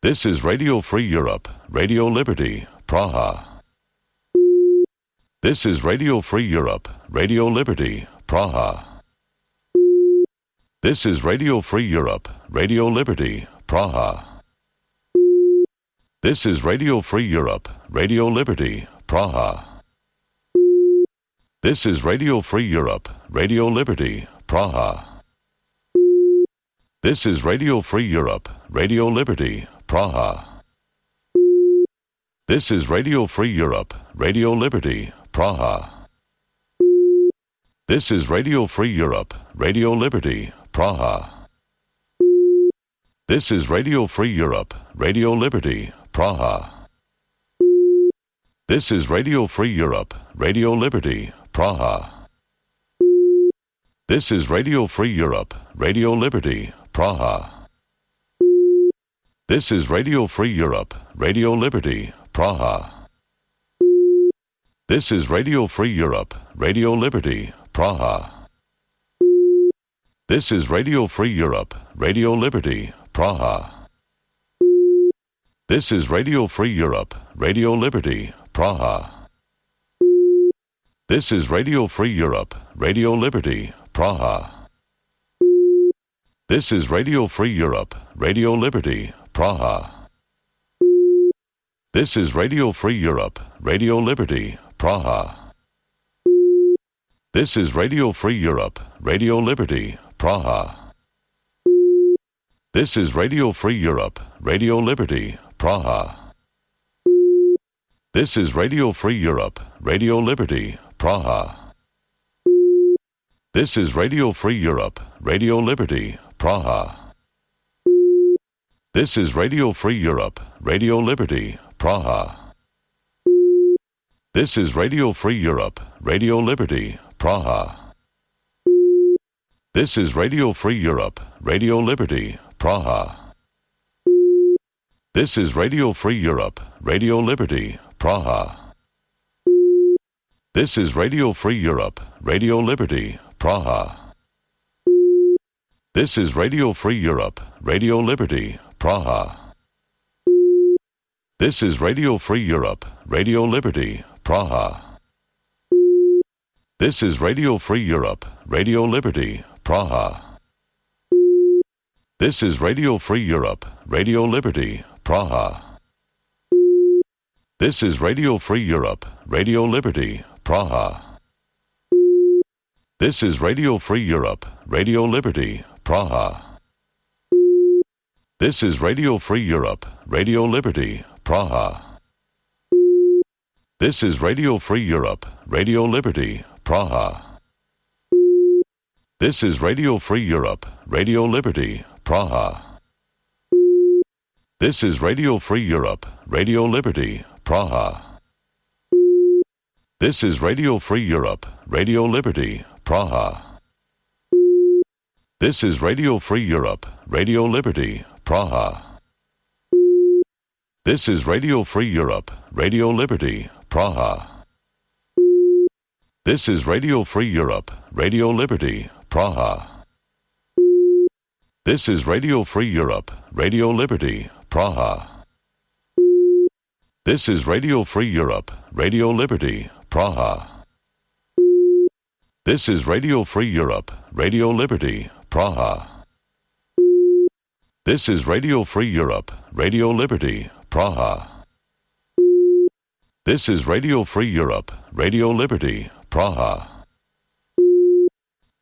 This is Radio Free Europe, Radio Liberty, Praha. This is Radio Free Europe, Radio Liberty, Praha. This is Radio Free Europe, Radio Liberty, Praha. This is Radio Free Europe, Radio Liberty, Praha. This is Radio Free Europe, Radio Liberty, Praha. This is Radio Free Europe, Radio Liberty, Praha. This is Radio Free Europe, Radio Liberty, Praha. This is Radio Free Europe, Radio Liberty, Praha. This is Radio Free Europe, Radio Liberty, Praha. This is Radio Free Europe, Radio Liberty, Praha. This is Radio Free Europe, Radio Liberty, Praha. This is Radio Free Europe, Radio Liberty, Praha. This is Radio Free Europe, Radio Liberty, Praha. This is Radio Free Europe, Radio Liberty, Praha. This is Radio Free Europe, Radio Liberty, Praha. This is Radio Free Europe, Radio Liberty, Praha. This is Radio Free Europe, Radio Liberty, Praha. This is Radio Free Europe, Radio Liberty, Praha. This is Radio Free Europe, Radio Liberty, Praha. This is Radio Free Europe, Radio Liberty, Praha. This is Radio Free Europe, Radio Liberty, Praha. This is Radio Free Europe, Radio Liberty, Praha. This is Radio Free Europe, Radio Liberty, Praha. This is Radio Free Europe, Radio Liberty, Praha. This is Radio Free Europe, Radio Liberty, Praha. This is Radio Free Europe, Radio Liberty, Praha. This is Radio Free Europe, Radio Liberty, Praha. This is Radio Free Europe, Radio Liberty, Praha. This is Radio Free Europe, Radio Liberty, Praha. This is Radio Free Europe, Radio Liberty, Praha. This is Radio Free Europe, Radio Liberty, Praha. This is Radio Free Europe, Radio Liberty, Praha. This is Radio Free Europe, Radio Liberty, Praha. This is Radio Free Europe, Radio Liberty, Praha. This is Radio Free Europe, Radio Liberty, Praha. This is Radio Free Europe, Radio Liberty, Praha. This is Radio Free Europe, Radio Liberty, Praha. This is Radio Free Europe, Radio Liberty, Praha. This is Radio Free Europe, Radio Liberty, Praha. This is Radio Free Europe, Radio Liberty, Praha. This is Radio Free Europe, Radio Liberty, Praha. This is Radio Free Europe, Radio Liberty, Praha. This is Radio Free Europe, Radio Liberty, Praha. This is Radio Free Europe, Radio Liberty, Praha. This is Radio Free Europe, Radio Liberty, Praha. This is Radio Free Europe, Radio Liberty, Praha.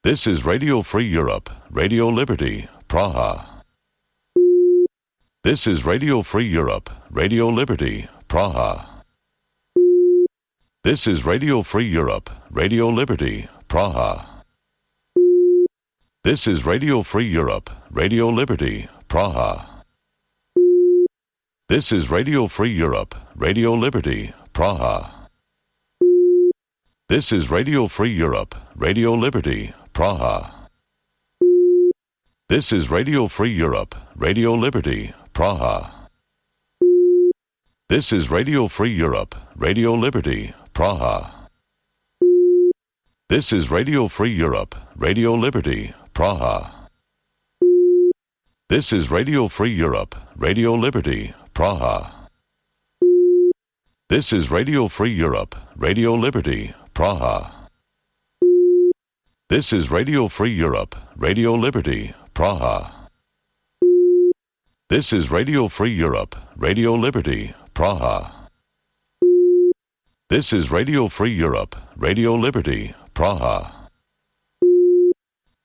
This is Radio Free Europe, Radio Liberty, Praha. This is Radio Free Europe, Radio Liberty, Praha. This is Radio Free Europe, Radio Liberty, Praha. This is Radio Free Europe, Radio Liberty, Praha. This is Radio Free Europe, Radio Liberty, Praha. This is Radio Free Europe, Radio Liberty, Praha. This is Radio Free Europe, Radio Liberty, Praha. This is Radio Free Europe, Radio Liberty, Praha. This is Radio Free Europe, Radio Liberty, Praha. This is Radio Free Europe, Radio Liberty, Praha. This is Radio Free Europe, Radio Liberty, Praha. This is Radio Free Europe, Radio Liberty, Praha. This is Radio Free Europe, Radio Liberty, Praha. This is Radio Free Europe, Radio Liberty, Praha.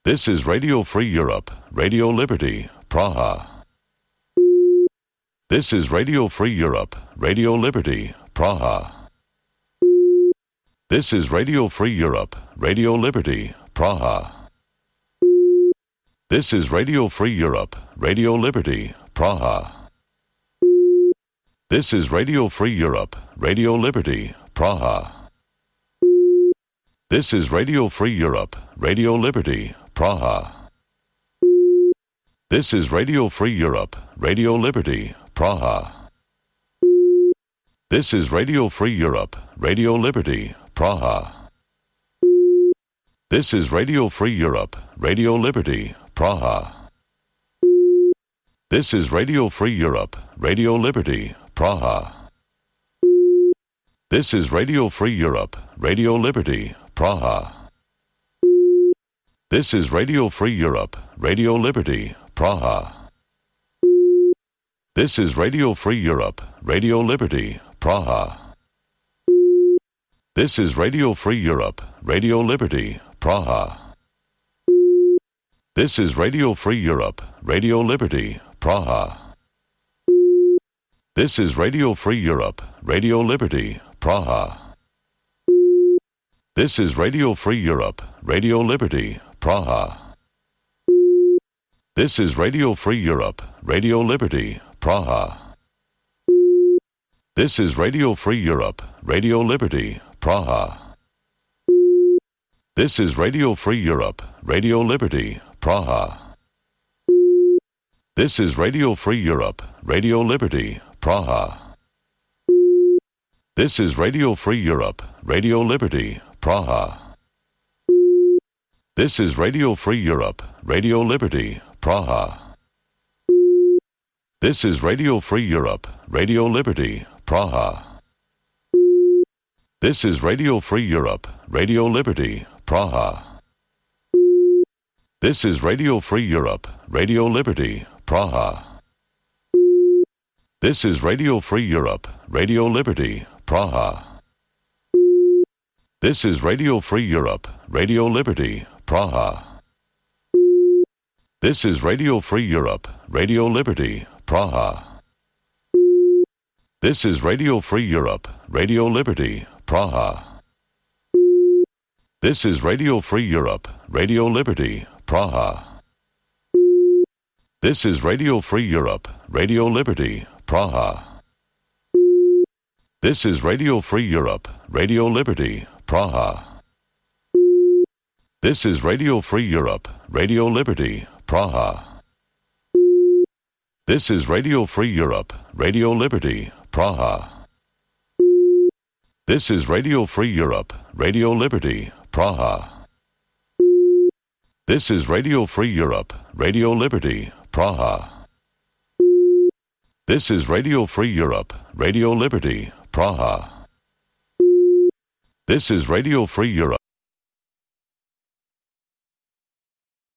This is Radio Free Europe, Radio Liberty, Praha. This is Radio Free Europe, Radio Liberty, Praha. This is Radio Free Europe, Radio Liberty, Praha. This is Radio Free Europe, Radio Liberty, Praha. This is Radio Free Europe, Radio Liberty, Praha. This is Radio Free Europe, Radio Liberty, Praha. This is Radio Free Europe, Radio Liberty, Praha. This is Radio Free Europe, Radio Liberty, Praha. This is Radio Free Europe, Radio Liberty, Praha. This is Radio Free Europe, Radio Liberty, Praha. This is Radio Free Europe, Radio Liberty, Praha. This is Radio Free Europe, Radio Liberty, Praha. This is Radio Free Europe, Radio Liberty, Praha. This is Radio Free Europe, Radio Liberty, Praha. This is Radio Free Europe, Radio Liberty, Praha. This is Radio Free Europe, Radio Liberty, Praha. This is Radio Free Europe, Radio Liberty, Praha. This is Radio Free Europe, Radio Liberty, Praha. This is Radio Free Europe, Radio Liberty, Praha. This is Radio Free Europe, Radio Liberty, Praha. This is Radio Free Europe, Radio Liberty, Praha. This is Radio Free Europe, Radio Liberty, Praha. This is Radio Free Europe, Radio Liberty, Praha. This is Radio Free Europe, Radio Liberty, Praha. This is Radio Free Europe, Radio Liberty, Praha. This is Radio Free Europe, Radio Liberty, Praha. This is Radio Free Europe, Radio Liberty, Praha. This is Radio Free Europe, Radio Liberty, Praha. This is Radio Free Europe, Radio Liberty, Praha. This is Radio Free Europe, Radio Liberty, Praha. This is Radio Free Europe, Radio Liberty, Praha. This is Radio Free Europe, Radio Liberty, Praha. This is Radio Free Europe, Radio Liberty, Praha. This is Radio Free Europe, Radio Liberty, Praha. This is Radio Free Europe, Radio Liberty, Praha. This is Radio Free Europe, Radio Liberty, Praha. This is Radio Free Europe, Radio Liberty, Praha. This is Radio Free Europe, Radio Liberty, Praha. This is Radio Free Europe.